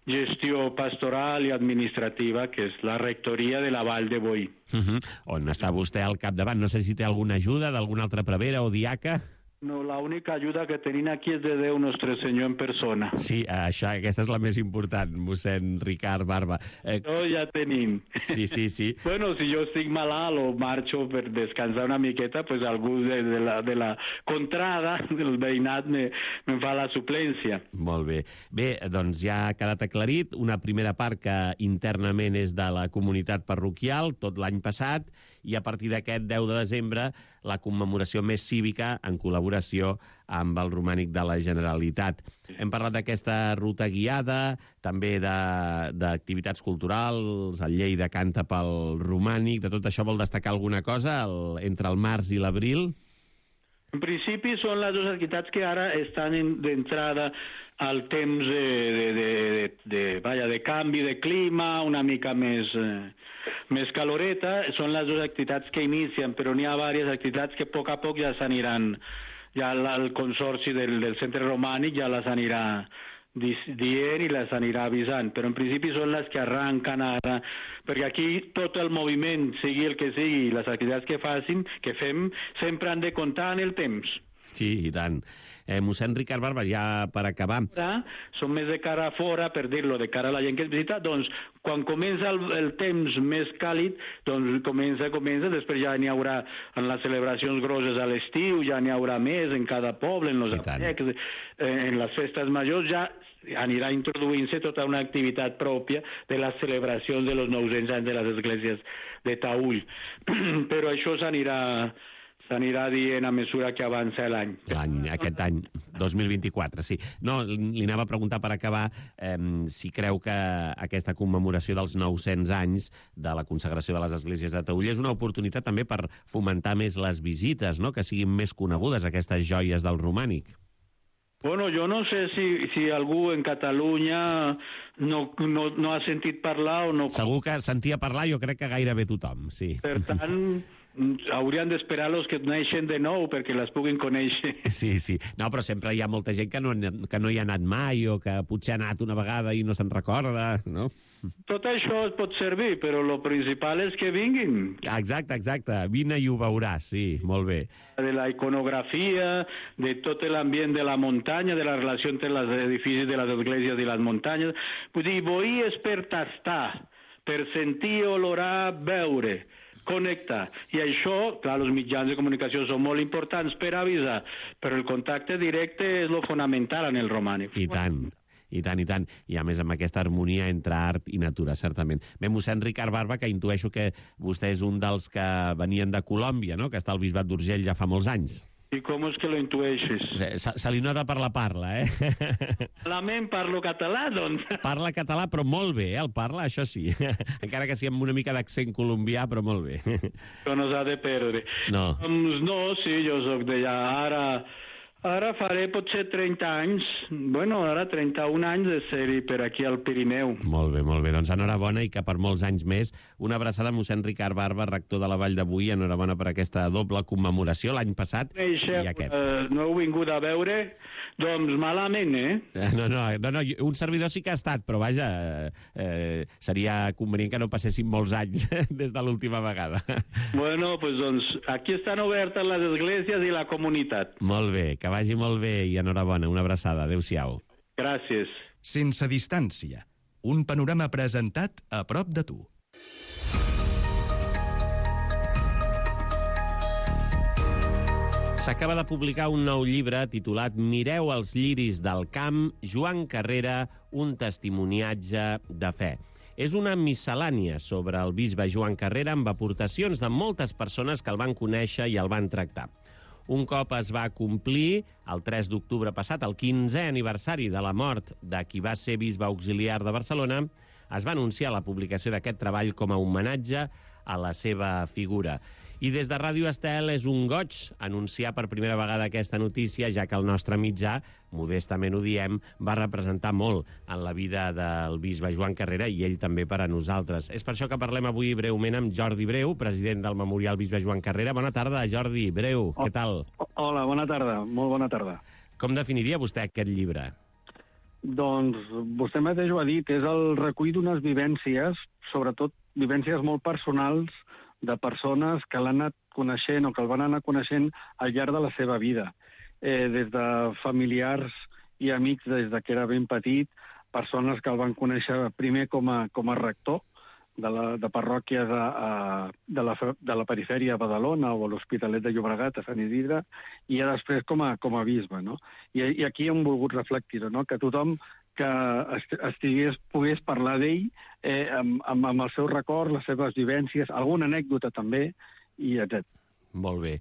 gestió pastoral i administrativa, que és la rectoria de la Vall de Boí. Uh-huh. On està vostè al capdavant? No sé si té alguna ajuda d'alguna altra prevera o diaca? No, l'única ajuda que tenim aquí és de Déu Nostre Senyor en persona. Sí, això, aquesta és la més important, mossèn Ricard Barba. Eh... No, ja tenim. Sí, sí, sí. Bueno, si jo estic malalt o marxo per descansar una miqueta, pues algú de, de, la, de la contrada, del veïnat, me, me fa la suplència. Molt bé. Bé, doncs ja ha quedat aclarit. Una primera part que internament és de la comunitat parroquial, tot l'any passat, i a partir d'aquest deu de desembre la commemoració més cívica en col·laboració amb el Romànic de la Generalitat. Hem parlat d'aquesta ruta guiada, també d'activitats culturals, el Lleida canta pel Romànic. De tot això vol destacar alguna cosa el, entre el març i l'abril? En principi són les dues activitats que ara estan d'entrada al temps de, de, de, de, de, vaja, de canvi de clima, una mica més, eh, més caloreta. Són les dues activitats que inicien, però n'hi ha diverses activitats que a poc a poc ja s'aniran, ja el consorci del, del centre romànic ja les anirà dient i les anirà avisant, però en principi són les que arranquen ara, perquè aquí tot el moviment, sigui el que sigui, les activitats que facin, que fem, sempre han de comptar en el temps. Sí, i tant. Eh, mossèn Ricard Barba, ja per acabar. Són més de cara a fora, per dir-lo, de cara a la gent que es visita, doncs quan comença el, el temps més càlid, doncs comença, comença, després ja n'hi haurà en les celebracions grosses a l'estiu, ja n'hi haurà més en cada poble, en els apecs, en les festes majors, ja anirà introduint-se tota una activitat pròpia de les celebracions de los nou-cents anys de les esglésies de Taüll. Però això s'anirà s'anirà dient a mesura que avança l'any. L'any, aquest any, dos mil vint-i-quatre, sí. No, li anava a preguntar per acabar eh, si creu que aquesta commemoració dels nou-cents anys de la consagració de les esglésies de Taüll és una oportunitat també per fomentar més les visites, no?, que siguin més conegudes aquestes joies del romànic. Bueno, jo no sé si, si algú en Catalunya no, no, no ha sentit parlar o no... Segur que sentia parlar, jo crec que gairebé tothom, sí. Per tant, haurien d'esperar los que neixen de nou perquè les puguin conèixer. Sí, sí. No, però sempre hi ha molta gent que no, que no hi ha anat mai o que potser ha anat una vegada i no se'n recorda, no? Tot això et pot servir, però el principal és que vinguin. Exacte, exacte. Vine i ho veuràs, sí, molt bé. De la iconografia, de tot l'ambient de la muntanya, de la relació entre els edificis de les esglésies i les muntanyes. Vull dir, boí és per tastar, per sentir, olorar, veure, connectar. I això, clar, els mitjans de comunicació són molt importants per avisar, però el contacte directe és lo fonamental en el romànic. I tant. I tant, i tant. I a més amb aquesta harmonia entre art i natura, certament. Bé, mossèn Ricard Barba, que intueixo que vostè és un dels que venien de Colòmbia, no?, que està al Bisbat d'Urgell ja fa molts anys. I com és que lo intueixes? Se, se li nota per la parla, eh? Malament parlo català, doncs. Parla català, però molt bé, eh? El parla, això sí. Encara que sigui amb una mica d'accent colombià, però molt bé. Això no s'ha de perdre. No. Doncs no, sí, jo soc d'allà. Ara... Ara faré potser trenta anys, bueno, ara trenta-un anys de ser-hi per aquí al Pirineu. Molt bé, molt bé. Doncs enhorabona i que per molts anys més. Una abraçada a mossèn Ricard Barba, rector de la Vall de Boí. Enhorabona per aquesta doble commemoració l'any passat Eixa, i aquest. Uh, no heu vingut a veure? Doncs malament, eh? No, no, no, no, un servidor sí que ha estat, però vaja, eh, seria convenient que no passessin molts anys des de l'última vegada. Bueno, pues doncs aquí estan obertes les esglésies i la comunitat. Molt bé, que vagi molt bé i enhorabona. Una abraçada. Adéu-siau. Gràcies. Sense distància. Un panorama presentat a prop de tu. S'acaba de publicar un nou llibre titulat Mireu els lliris del camp, Joan Carrera, un testimoniatge de fe. És una miscel·lània sobre el bisbe Joan Carrera amb aportacions de moltes persones que el van conèixer i el van tractar. Un cop es va complir, el tres d'octubre passat, el quinzè aniversari de la mort de qui va ser bisbe auxiliar de Barcelona, es va anunciar la publicació d'aquest treball com a homenatge a la seva figura. I des de Ràdio Estel és un goig anunciar per primera vegada aquesta notícia, ja que el nostre mitjà, modestament ho diem, va representar molt en la vida del bisbe Joan Carrera i ell també per a nosaltres. És per això que parlem avui breument amb Jordi Breu, president del Memorial Bisbe Joan Carrera. Bona tarda, Jordi Breu, què tal? Hola, bona tarda, molt bona tarda. Com definiria vostè aquest llibre? Doncs vostè mateix ho ha dit, és el recull d'unes vivències, sobretot vivències molt personals, de persones que l'han anat coneixent o que el van anar coneixent al llarg de la seva vida. Eh, des de familiars i amics des de que era ben petit, persones que el van conèixer primer com a, com a rector de, la, de parròquies a, a, de, la, de la perifèria a Badalona o a l'Hospitalet de Llobregat, a Sant Isidre, i ja després com a, com a bisbe, no? I, i aquí hem volgut reflectir-ho, no? Que tothom que estigués, pogués parlar d'ell eh, amb, amb, amb el seu record, les seves vivències, alguna anècdota també, i etcètera. Molt bé.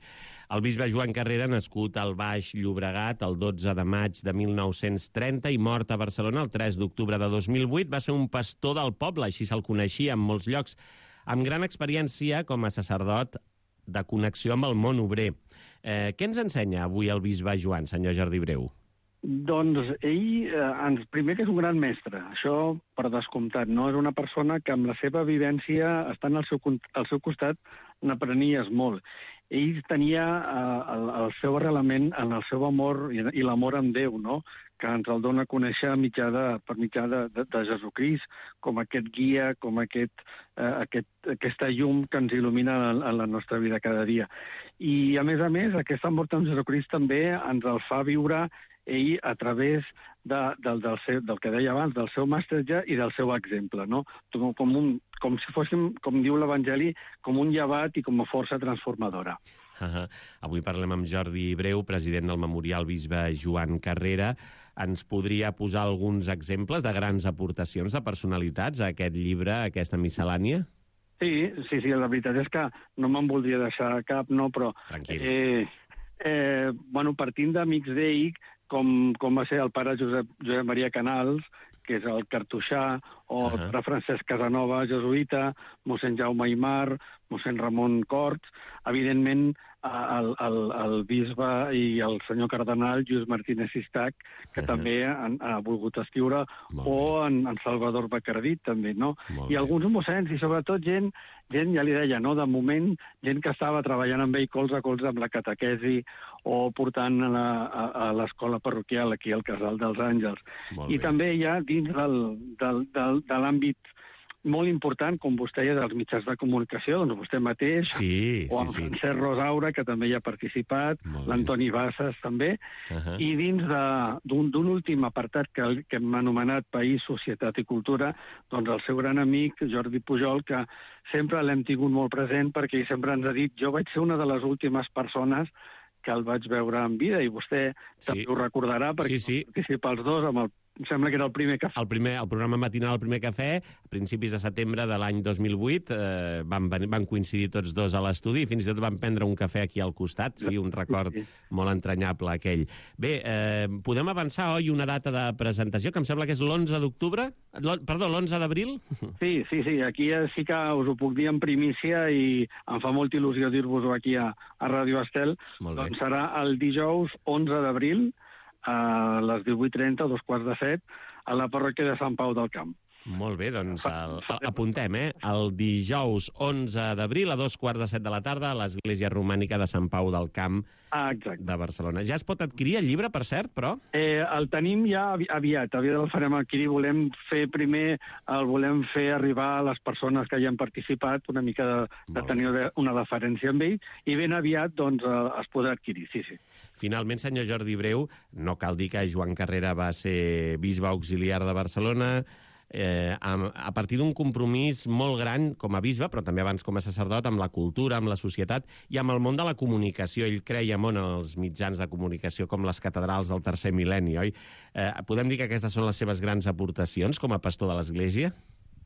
El bisbe Joan Carrera, nascut al Baix Llobregat el dotze de maig de mil nou-cents trenta i mort a Barcelona el tres d'octubre de dos mil vuit, va ser un pastor del poble, així se'l coneixia en molts llocs, amb gran experiència com a sacerdot de connexió amb el món obrer. Eh, què ens ensenya avui el bisbe Joan, senyor Jordi Breu? Doncs ell, eh, ens, primer que és un gran mestre, això per descomptat, no? És una persona que amb la seva vivència, estant al seu, al seu costat, n'aprenies molt. Ell tenia eh, el, el seu arrelament en el seu amor i, i l'amor amb Déu, no? Que ens el dona a conèixer mitjà de, per mitjà de, de, de Jesucrist, com aquest guia, com aquest, eh, aquest, aquesta llum que ens il·lumina en, en la nostra vida cada dia. I, a més a més, aquest amor amb Jesucrist també ens el fa viure ell a través de, del, del, seu, del que deia abans, del seu mestratge i del seu exemple, no? Com, com, un, com si fóssim, com diu l'Evangeli, com un llevat i com a força transformadora. Uh -huh. Avui parlem amb Jordi Breu, president del Memorial Bisbe Joan Carrera. Ens podria posar alguns exemples de grans aportacions de personalitats a aquest llibre, a aquesta miscel·lània? Sí, sí, sí, la veritat és que no me'n voldria deixar cap, no, però... Tranquil. Eh, eh, bueno, partint d'amics d'ell, com, com va ser el pare Josep, Josep Maria Canals, que és el cartoixà, o uh -huh. el pare Francesc Casanova, jesuïta, mossèn Jaume Aymar, mossèn Ramon Corts, evidentment el, el, el bisbe i el senyor cardenal Lluís Martínez Sistac, que uh -huh. també han, ha volgut escriure, o en, en Salvador Bacardit, també, no? I alguns mossèns, i sobretot gent, gent, ja li deia, no?, de moment, gent que estava treballant amb ell colze a colze amb la catequesi o portant a, la, a, a l'escola parroquial aquí al Casal dels Àngels. I també hi ha dins del, del, del, de l'àmbit molt important, com vostè deia, dels mitjans de comunicació, doncs vostè mateix, sí, o en sí, sí. Francesc Rosaura, que també hi ha participat, l'Antoni Bassas també, uh -huh. i dins d'un últim apartat que, que hem anomenat País, Societat i Cultura, doncs el seu gran amic, Jordi Pujol, que sempre l'hem tingut molt present perquè ell sempre ens ha dit, jo vaig ser una de les últimes persones que el vaig veure en vida, i vostè sí. també ho recordarà, perquè sí, sí. participa els dos amb el em sembla que era el primer cafè. El, primer, el programa matinal El primer cafè, a principis de setembre de l'any dos mil vuit, eh, van, van coincidir tots dos a l'estudi i fins i tot van prendre un cafè aquí al costat. Sí, un record sí, sí. molt entranyable aquell. Bé, eh, podem avançar, oi, una data de presentació, que em sembla que és l'onze d'octubre? Perdó, l'onze d'abril? Sí, sí, sí. Aquí sí que us ho puc dir en primícia i em fa molta il·lusió dir-vos-ho aquí a, a Ràdio Estel. Doncs serà el dijous onze d'abril, a les divuit trenta, dos quarts de set, a la parròquia de Sant Pau del Camp. Molt bé, doncs el, apuntem, eh? El dijous onze d'abril a dos quarts de set de la tarda a l'Església Romànica de Sant Pau del Camp ah, de Barcelona. Ja es pot adquirir el llibre, per cert, però? Eh, el tenim ja aviat, aviat el farem adquirir. Volem fer primer, el volem fer arribar a les persones que hi han participat, una mica de, de tenir una deferència amb ell, i ben aviat doncs, es podrà adquirir, sí, sí. Finalment, senyor Jordi Breu, no cal dir que Joan Carrera va ser bisbe auxiliar de Barcelona, eh, a, a partir d'un compromís molt gran com a bisbe, però també abans com a sacerdot, amb la cultura, amb la societat i amb el món de la comunicació. Ell creia molt en els mitjans de comunicació com les catedrals del tercer mil·lenni, oi? Eh, podem dir que aquestes són les seves grans aportacions com a pastor de l'Església?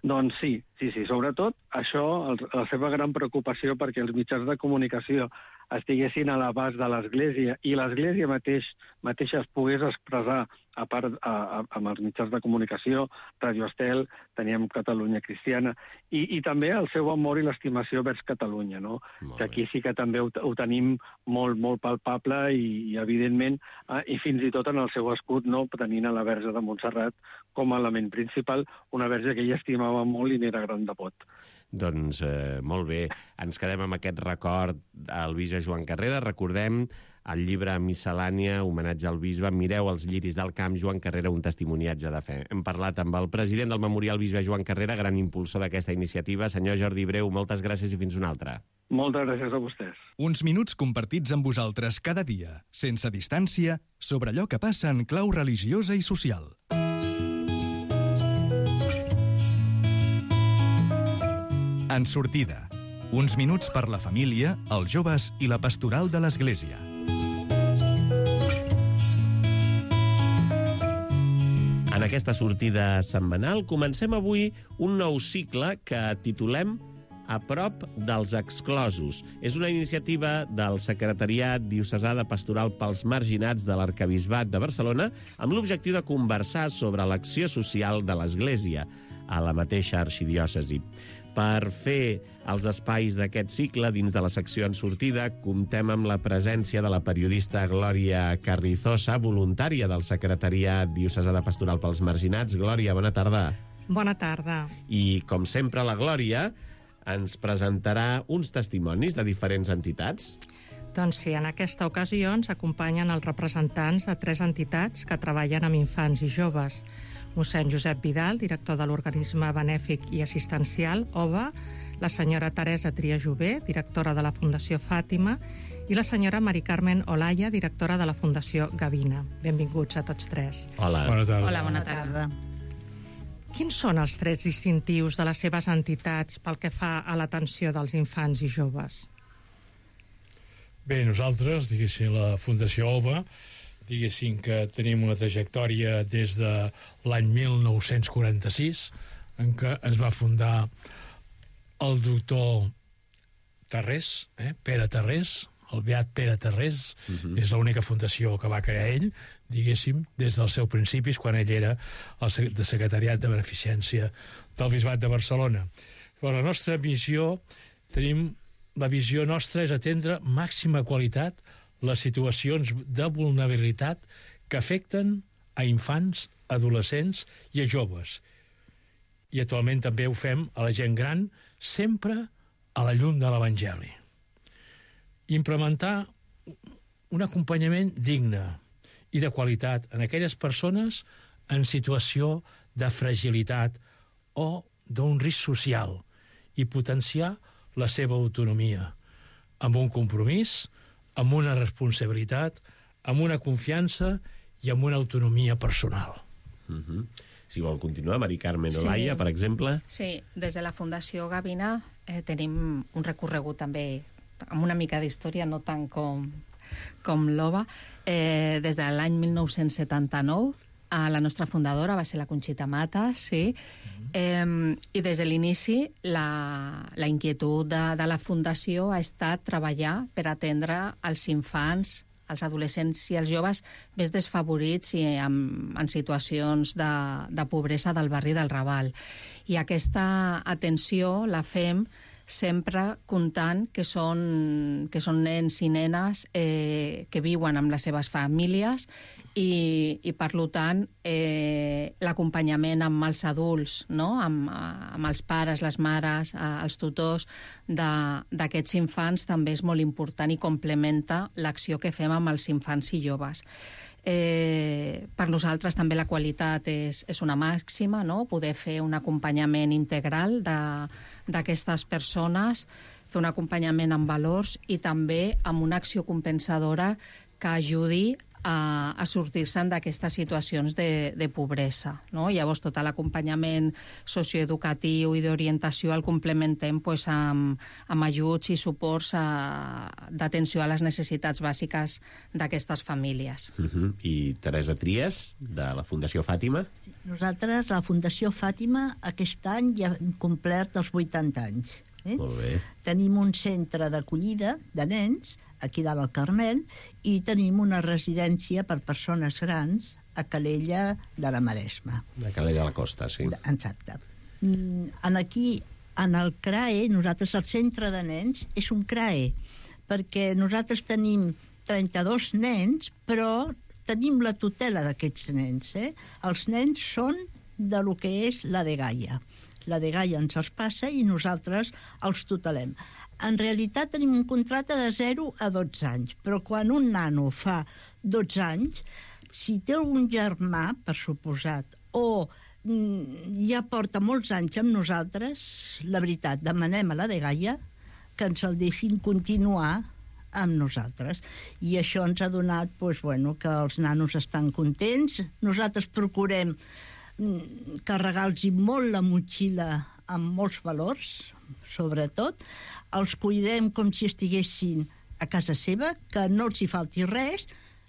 Doncs sí, sí, sí. Sobretot això, el, la seva gran preocupació perquè els mitjans de comunicació estiguessin a l'abast de l'Església i l'Església mateix, mateixa es pogués expressar a part a, a, amb els mitjans de comunicació, Ràdio Estel, teníem Catalunya Cristiana, i, i també el seu amor i l'estimació vers Catalunya, no? Que aquí sí que també ho, ho tenim molt, molt palpable i, i evidentment, eh, i fins i tot en el seu escut, no? Tenint a la Verge de Montserrat com a element principal, una verge que ell estimava molt i n'era gran devot. Doncs eh, molt bé, ens quedem amb aquest record al bisbe Joan Carrera. Recordem el llibre Miscel·lània, homenatge al bisbe. Mireu els lliris del camp, Joan Carrera, un testimoniatge de fe. Hem parlat amb el president del Memorial Bisbe Joan Carrera, gran impulsor d'aquesta iniciativa. Senyor Jordi Breu, moltes gràcies i fins una altra. Moltes gràcies a vostès. Uns minuts compartits amb vosaltres cada dia, sense distància, sobre allò que passa en clau religiosa i social. En sortida, uns minuts per la família, els joves i la pastoral de l'Església. En aquesta sortida setmanal comencem avui un nou cicle que titulem A prop dels exclosos. És una iniciativa del Secretariat Diocesà de Pastoral pels Marginats de l'Arquebisbat de Barcelona amb l'objectiu de conversar sobre l'acció social de l'Església. a la mateixa arxidiòcesi. Per fer els espais d'aquest cicle, dins de la secció en sortida, comptem amb la presència de la periodista Glòria Carrizosa, voluntària del Secretariat Diocesà de Pastoral pels Marginats. Glòria, bona tarda. Bona tarda. I, com sempre, la Glòria ens presentarà uns testimonis de diferents entitats. Doncs sí, en aquesta ocasió ens acompanyen els representants de tres entitats que treballen amb infants i joves. Mossèn Josep Vidal, director de l'organisme benèfic i assistencial O V A, la senyora Teresa Trias-Jové, directora de la Fundació Fàtima, i la senyora Mari Carmen Olaya, directora de la Fundació Gavina. Benvinguts a tots tres. Hola. Bona tarda. Hola, bona tarda. Quins són els trets distintius de les seves entitats pel que fa a l'atenció dels infants i joves? Bé, nosaltres, diguéssim, la Fundació O V A, diguéssim que tenim una trajectòria des de l'any mil nou-cents quaranta-sis, en què ens va fundar el doctor Tarrés, eh? Pere Tarrés, el beat Pere Tarrés, uh-huh. És l'única fundació que va crear ell, diguéssim, des dels seus principis, quan ell era el de secretariat de beneficència del Bisbat de Barcelona. Però la nostra visió, tenim, la visió nostra és atendre màxima qualitat les situacions de vulnerabilitat que afecten a infants, adolescents i a joves. I actualment també ho fem a la gent gran, sempre a la llum de l'Evangeli. Implementar un acompanyament digne i de qualitat en aquelles persones en situació de fragilitat o d'un risc social i potenciar la seva autonomia amb un compromís, amb una responsabilitat, amb una confiança i amb una autonomia personal. Uh-huh. Si vol continuar, Mari Carmen Olaya, sí. Per exemple. Sí, des de la Fundació Gavina eh, tenim un recorregut també amb una mica d'història, no tant com, com l'O V A. Eh, des de l'any mil nou-cents setanta-nou, a la nostra fundadora va ser la Conxita Matas, sí. Uh-huh. Eh, I des de l'inici la, la inquietud de, de la Fundació ha estat treballar per atendre els infants, els adolescents i els joves més desfavorits i en, en situacions de, de pobresa del barri del Raval. I aquesta atenció la fem sempre comptant que són, que són nens i nenes eh, que viuen amb les seves famílies i, i per tant, eh, l'acompanyament amb els adults, no? amb, amb els pares, les mares, els tutors d'aquests infants també és molt important i complementa l'acció que fem amb els infants i joves. Eh, per nosaltres també la qualitat és, és una màxima, no? Poder fer un acompanyament integral d'aquestes persones, fer un acompanyament amb valors i també amb una acció compensadora que ajudi a, a sortir-se'n d'aquestes situacions de, de pobresa, no? Llavors tot l'acompanyament socioeducatiu i d'orientació el complementem pues, amb, amb ajuts i suports d'atenció a les necessitats bàsiques d'aquestes famílies. Uh-huh. I Teresa Trias, de la Fundació Fàtima? Nosaltres, la Fundació Fàtima, aquest any ja hem complert els vuitanta anys. Eh? Molt bé. Tenim un centre d'acollida de nens aquí dalt al Carmel i tenim una residència per persones grans a Calella de la Maresma. A Calella de la Costa, sí. Exacte. En aquí, en el C R A E, nosaltres, el centre de nens, és un C R A E, perquè nosaltres tenim trenta-dos nens, però tenim la tutela d'aquests nens. Eh? Els nens són de lo que és la de Gaia. La de Gaia ens els passa i nosaltres els tutelem. En realitat tenim un contracte de zero a dotze anys, però quan un nano fa dotze anys, si té algun germà, per suposat, o ja porta molts anys amb nosaltres, la veritat, demanem a la de Gaia que ens el deixin continuar amb nosaltres. I això ens ha donat doncs, bueno, que els nanos estan contents. Nosaltres procurem carregar-los molt la motxilla amb molts valors, sobretot. Els cuidem com si estiguessin a casa seva, que no els hi falti res,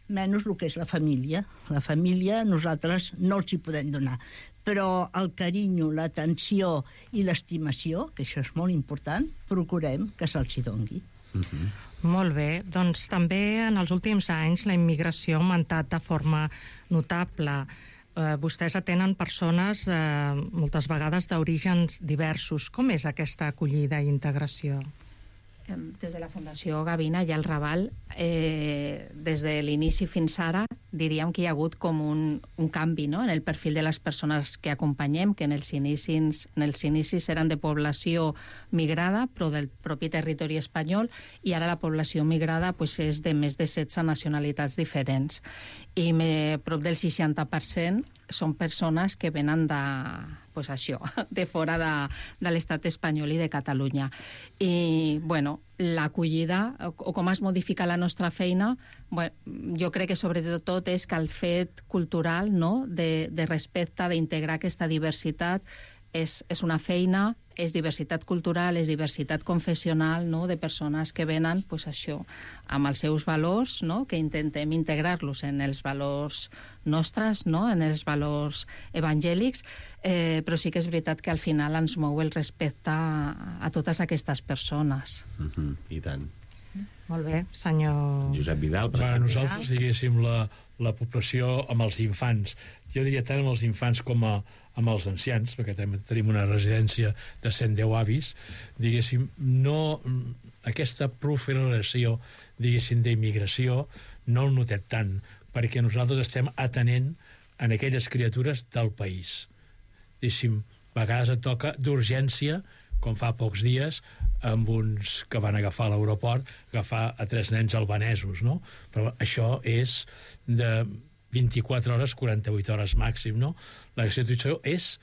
menys el que és la família. La família nosaltres no els hi podem donar. Però el carinyo, l'atenció i l'estimació, que això és molt important, procurem que se'ls hi dongui. Uh-huh. Molt bé. Doncs també en els últims anys la immigració ha augmentat de forma notable. eh, vostès atenen persones eh, moltes vegades d'orígens diversos. Com és aquesta acollida i integració? Des de la Fundació Gavina i el Raval, eh, des de l'inici fins ara, diríem que hi ha hagut com un, un canvi, no?, en el perfil de les persones que acompanyem, que en els inicis, en els inicis eren de població migrada, però del propi territori espanyol, i ara la població migrada pues, és de més de setze nacionalitats diferents. I me, prop del seixanta per cent són persones que venen de, pues això, de fora de, de l'estat espanyol i de Catalunya. I, bueno, l'acollida, o com es modifica la nostra feina, bueno, jo crec que sobretot és que el fet cultural, no?, de, de respecte, d'integrar aquesta diversitat, és, és una feina, és diversitat cultural, és diversitat confessional, no?, de persones que venen, pues això, amb els seus valors, no?, que intentem integrar-los en els valors nostres, no?, en els valors evangèlics, eh, però sí que és veritat que al final ens mou el respecte a, a totes aquestes persones. Mm-hmm, I tant. Molt bé, senyor... Josep Vidal, per exemple. Nosaltres, diguéssim, la, la població amb els infants, jo diria tant amb els infants com a, amb els ancians, perquè també tenim una residència de cent deu avis, diguéssim, no... aquesta proliferació, diguéssim, d'immigració, no el notem tant, perquè nosaltres estem atenent en aquelles criatures del país. Diguéssim, a vegades et toca d'urgència, com fa pocs dies, amb uns que van agafar a l'aeroport, agafar a tres nens albanesos, no? Però això és de vint-i-quatre hores, quaranta-vuit hores màxim, no? La situació és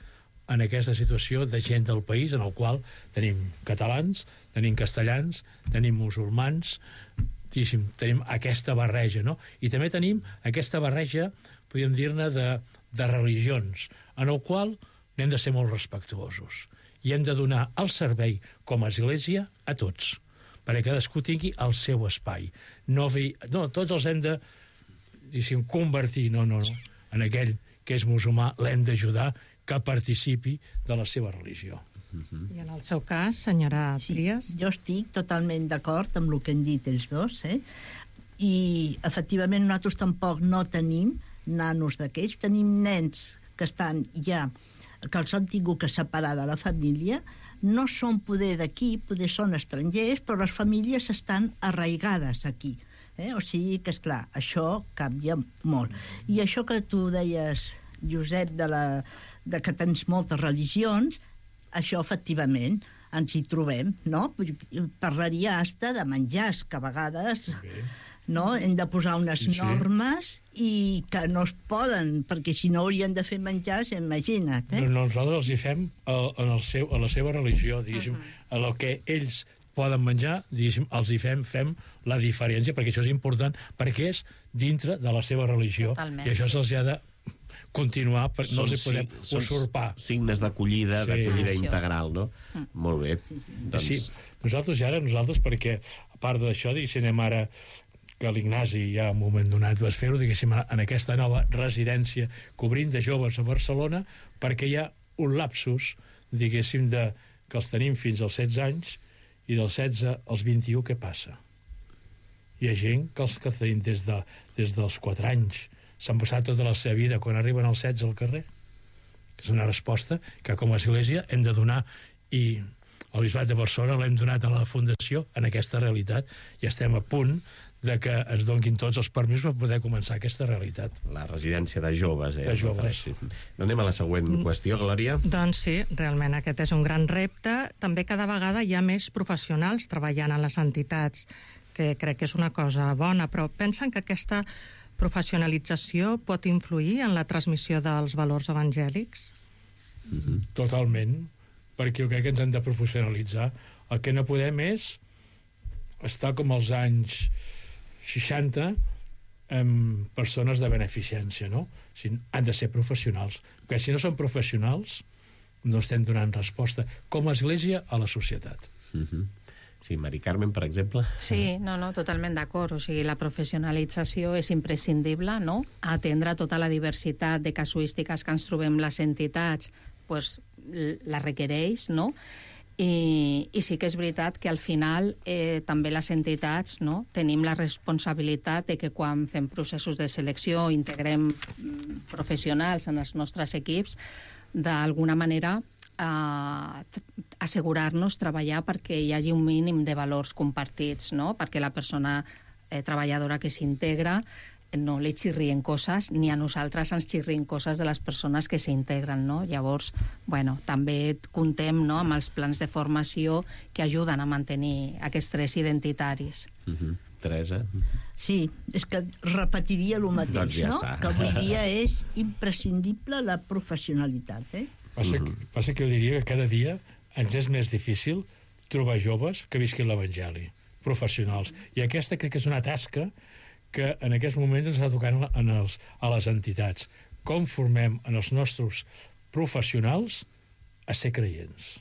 en aquesta situació de gent del país en el qual tenim catalans, tenim castellans, tenim musulmans, tenim aquesta barreja, no? I també tenim aquesta barreja, podríem dir-ne, de, de religions, en el qual hem de ser molt respectuosos i hem de donar el servei com a església a tots, perquè cadascú tingui el seu espai. No, vi... no tots els hem de, diguéssim, convertir, no, no, no, en aquell que és musulmà l'hem d'ajudar que participi de la seva religió. Uh-huh. I en el seu cas, senyora Trias? Sí, jo estic totalment d'acord amb el que han dit els dos, eh? I efectivament nosaltres tampoc no tenim nanos d'aquells, tenim nens que estan ja, que els han tingut que separar de la família, no són poder d'aquí, poder són estrangers, però les famílies estan arraigades aquí. Eh? O sigui que, esclar, això canvia molt. I això que tu deies, Josep, de, la, de que tens moltes religions, això, efectivament, ens hi trobem, no? Parlaria hasta de menjars, que a vegades... Okay. No? Hem de posar unes sí, sí. normes i que no es poden, perquè si no haurien de fer menjars, imagina't. Eh? No, nosaltres els hi fem a, en el seu, a la seva religió, diguéssim, uh-huh. a el que ells poden menjar, diguéssim, els hi fem, fem la diferència, perquè això és important, perquè és dintre de la seva religió. Totalment. I això se'ls ha de continuar, perquè no els hi podem sí, usurpar. Signes d'acollida, sí. d'acollida integral, no? Mm. Molt bé. Sí, sí. Doncs... sí, nosaltres ja ara, nosaltres, perquè a part d'això, diguéssim, anem ara que l'Ignasi ja en un moment donat vas fer-ho, diguéssim, en aquesta nova residència cobrint de joves a Barcelona, perquè hi ha un lapsus, diguéssim, de, que els tenim fins als setze anys, i dels setze als vint-i-u, què passa? Hi ha gent que els que tenim des, de, des dels quatre anys s'han passat tota la seva vida quan arriben als setze al carrer. És una resposta que com a església hem de donar, i el Bisbat de Barcelona l'hem donat a la Fundació en aquesta realitat, i estem a punt de que ens donguin tots els permisos per poder començar aquesta realitat. La residència de joves, eh? De joves. Sí. Anem a la següent qüestió, Glòria. Doncs sí, realment aquest és un gran repte. També cada vegada hi ha més professionals treballant en les entitats, que crec que és una cosa bona, però pensen que aquesta professionalització pot influir en la transmissió dels valors evangèlics? Mm-hmm. Totalment, perquè jo crec que ens hem de professionalitzar. El que no podem és estar com als anys seixanta amb persones de beneficència, no? O sigui, han de ser professionals, perquè si no són professionals no estem donant resposta com a església a la societat. Mm-hmm. Sí, Mari Carmen, per exemple. Sí, no, no, totalment d'acord. O sigui, la professionalització és imprescindible, no? Atendre tota la diversitat de casuístiques que ens trobem les entitats, pues, la requereix, no? I, i sí que és veritat que al final eh, també les entitats, no, tenim la responsabilitat de que quan fem processos de selecció integrem professionals en els nostres equips, d'alguna manera eh, assegurar-nos treballar perquè hi hagi un mínim de valors compartits, no? Perquè la persona eh, treballadora que s'integra no li xirrien coses, ni a nosaltres ens xirrien coses de les persones que s'integren, no? Llavors, bueno, també comptem, no, amb els plans de formació que ajuden a mantenir aquests tres identitaris. Uh-huh. Teresa? Sí, és que repetiria el mateix, doncs ja no? està. Que avui dia és imprescindible la professionalitat, eh? Passa, uh-huh. que, passa que jo diria que cada dia ens és més difícil trobar joves que visquin l'Evangeli, professionals. I aquesta crec que és una tasca que en aquests moments ens està tocant en els, a les entitats. Com formem en els nostres professionals a ser creients.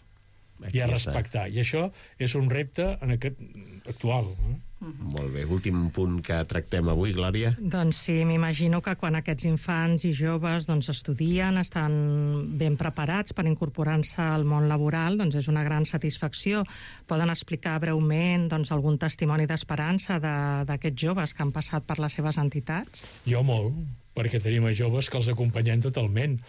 Aquí i a respectar. Està. I això és un repte en aquest actual. Eh? Uh-huh. Molt bé. Últim punt que tractem avui, Glòria. Doncs sí, m'imagino que quan aquests infants i joves doncs, estudien, estan ben preparats per incorporar-se al món laboral, doncs és una gran satisfacció. Poden explicar breument doncs, algun testimoni d'esperança d'aquests joves que han passat per les seves entitats? Jo molt, perquè tenim a joves que els acompanyem totalment.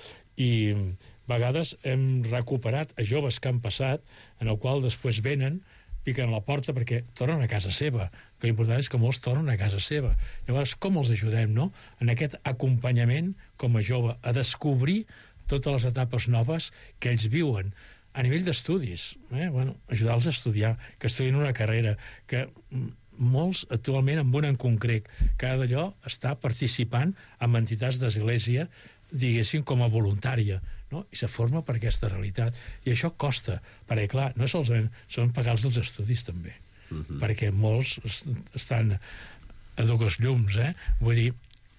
I a vegades hem recuperat a joves que han passat, en el qual després venen, piquen a la porta perquè tornen a casa seva, que l'important és que molts tornen a casa seva. Llavors, com els ajudem, no?, en aquest acompanyament com a jove, a descobrir totes les etapes noves que ells viuen, a nivell d'estudis, eh? Bueno, ajudar-los a estudiar, que estudien una carrera, que molts actualment, amb una en concret, cada d'allò està participant en entitats d'església, diguéssim, com a voluntària, no? I se forma per aquesta realitat. I això costa, perquè, clar, no solament són pagar-los els estudis, també, uh-huh. perquè molts estan a dues llums, eh? Vull dir,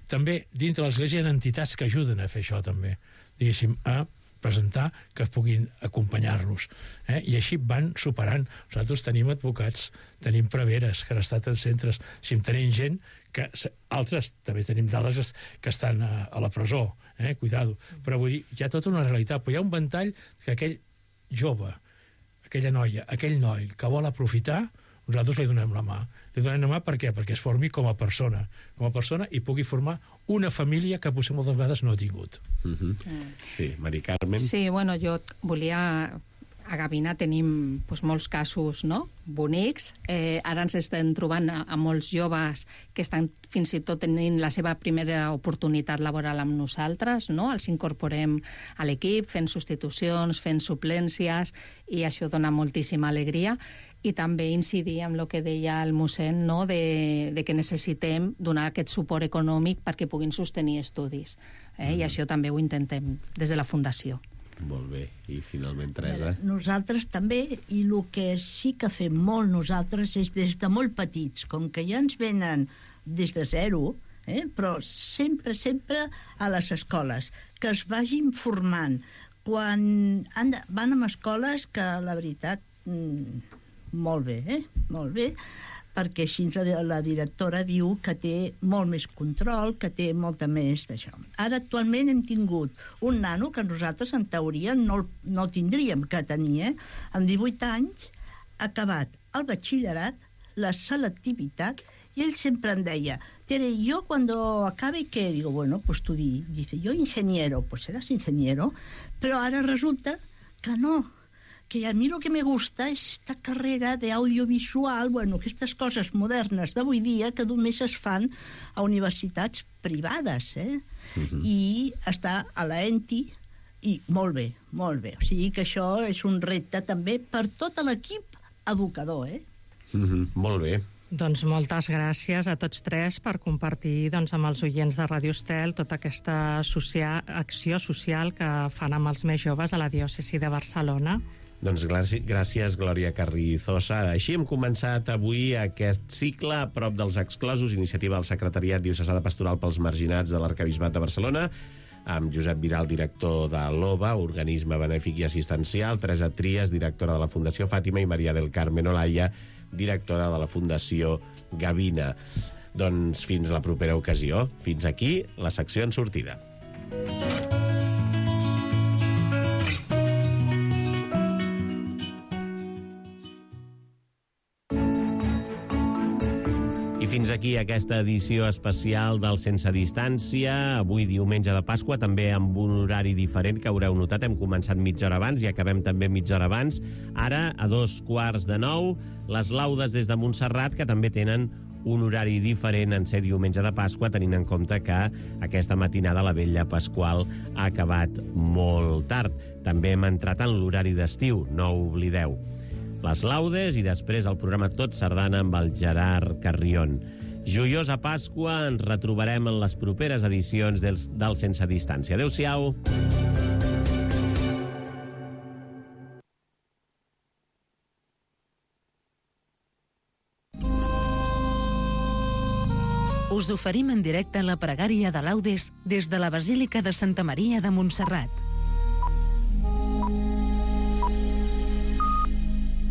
també, dintre l'església hi ha entitats que ajuden a fer això, també, diguéssim, a presentar que puguin acompanyar-los. Eh? I així van superant. Nosaltres tenim advocats, tenim preveres que han estat en centres, si tenim gent que altres també tenim dades que estan a, a la presó, eh? Cuidado. Però vull dir, hi ha tota una realitat, però hi ha un ventall que aquell jove, aquella noia, aquell noi que vol aprofitar, nosaltres li donem la mà. Li donem la mà per què? Perquè es formi com a persona, com a persona i pugui formar una família que potser moltes vegades no ha tingut. Uh-huh. Mm. Sí, Mari Carmen? Sí, bueno, jo volia... A Gavina tenim doncs, molts casos, no?, bonics. Eh, ara ens estem trobant a, a molts joves que estan fins i tot tenint la seva primera oportunitat laboral amb nosaltres, no? Els incorporem a l'equip, fent substitucions, fent suplències, i això dona moltíssima alegria. I també incidir en el que deia el mossèn, no?, de, de que necessitem donar aquest suport econòmic perquè puguin sostenir estudis. Eh? Mm. I això també ho intentem des de la Fundació. Molt bé. I finalment, Teresa? Nosaltres també, i el que sí que fem molt nosaltres és des de molt petits, com que ja ens venen des de zero, eh? Però sempre, sempre a les escoles, que es vagin formant. Quan han de, van a escoles que, la veritat, mmm, molt bé, eh? Molt bé, perquè així la, la directora diu que té molt més control, que té molta més d'això. Ara, actualment, hem tingut un nano que nosaltres, en teoria, no, no tindríem que tenir, eh? Amb divuit anys, ha acabat el batxillerat, la selectivitat, i ell sempre em deia, Tere, yo cuando acabe, ¿qué? Digo, bueno, pues tú di. Dice, yo ingeniero, pues serás ingeniero, pero ahora resulta que no, que a mi el que me gusta és esta carrera d'audiovisual, bueno, aquestes coses modernes d'avui dia que només es fan a universitats privades, eh? Uh-huh. I està a la E N T I, i molt bé, molt bé. O sigui que això és un repte també per tot l'equip educador, eh? Uh-huh. Molt bé. Doncs moltes gràcies a tots tres per compartir doncs, amb els oients de Ràdio Estel tota aquesta social, acció social que fan amb els més joves a la diòcesi de Barcelona. Doncs gràcies, Glòria Carrizosa. Així hem començat avui aquest cicle a prop dels exclosos, iniciativa del Secretariat Diocesà de Pastoral pels Marginats de l'Arquebisbat de Barcelona, amb Josep Vidal, director de l'O B A, organisme benèfic i assistencial, Teresa Trias, directora de la Fundació Fàtima, i Maria del Carmen Olaya, directora de la Fundació Gavina. Doncs fins la propera ocasió. Fins aquí la secció en sortida. I fins aquí aquesta edició especial del Sense Distància, avui diumenge de Pasqua, també amb un horari diferent que haureu notat. Hem començat mitja hora abans i acabem també mitja hora abans. Ara, a dos quarts de nou, les laudes des de Montserrat, que també tenen un horari diferent en ser diumenge de Pasqua, tenint en compte que aquesta matinada la vetlla pasqual ha acabat molt tard. També hem entrat en l'horari d'estiu, no ho oblideu. Les laudes i després el programa Tot Sardana amb el Gerard Carrion. Joiosa Pasqua, ens retrobarem en les properes edicions del, del Sense Distància. Adéu-siau. Us oferim en directe la pregària de laudes des de la Basílica de Santa Maria de Montserrat.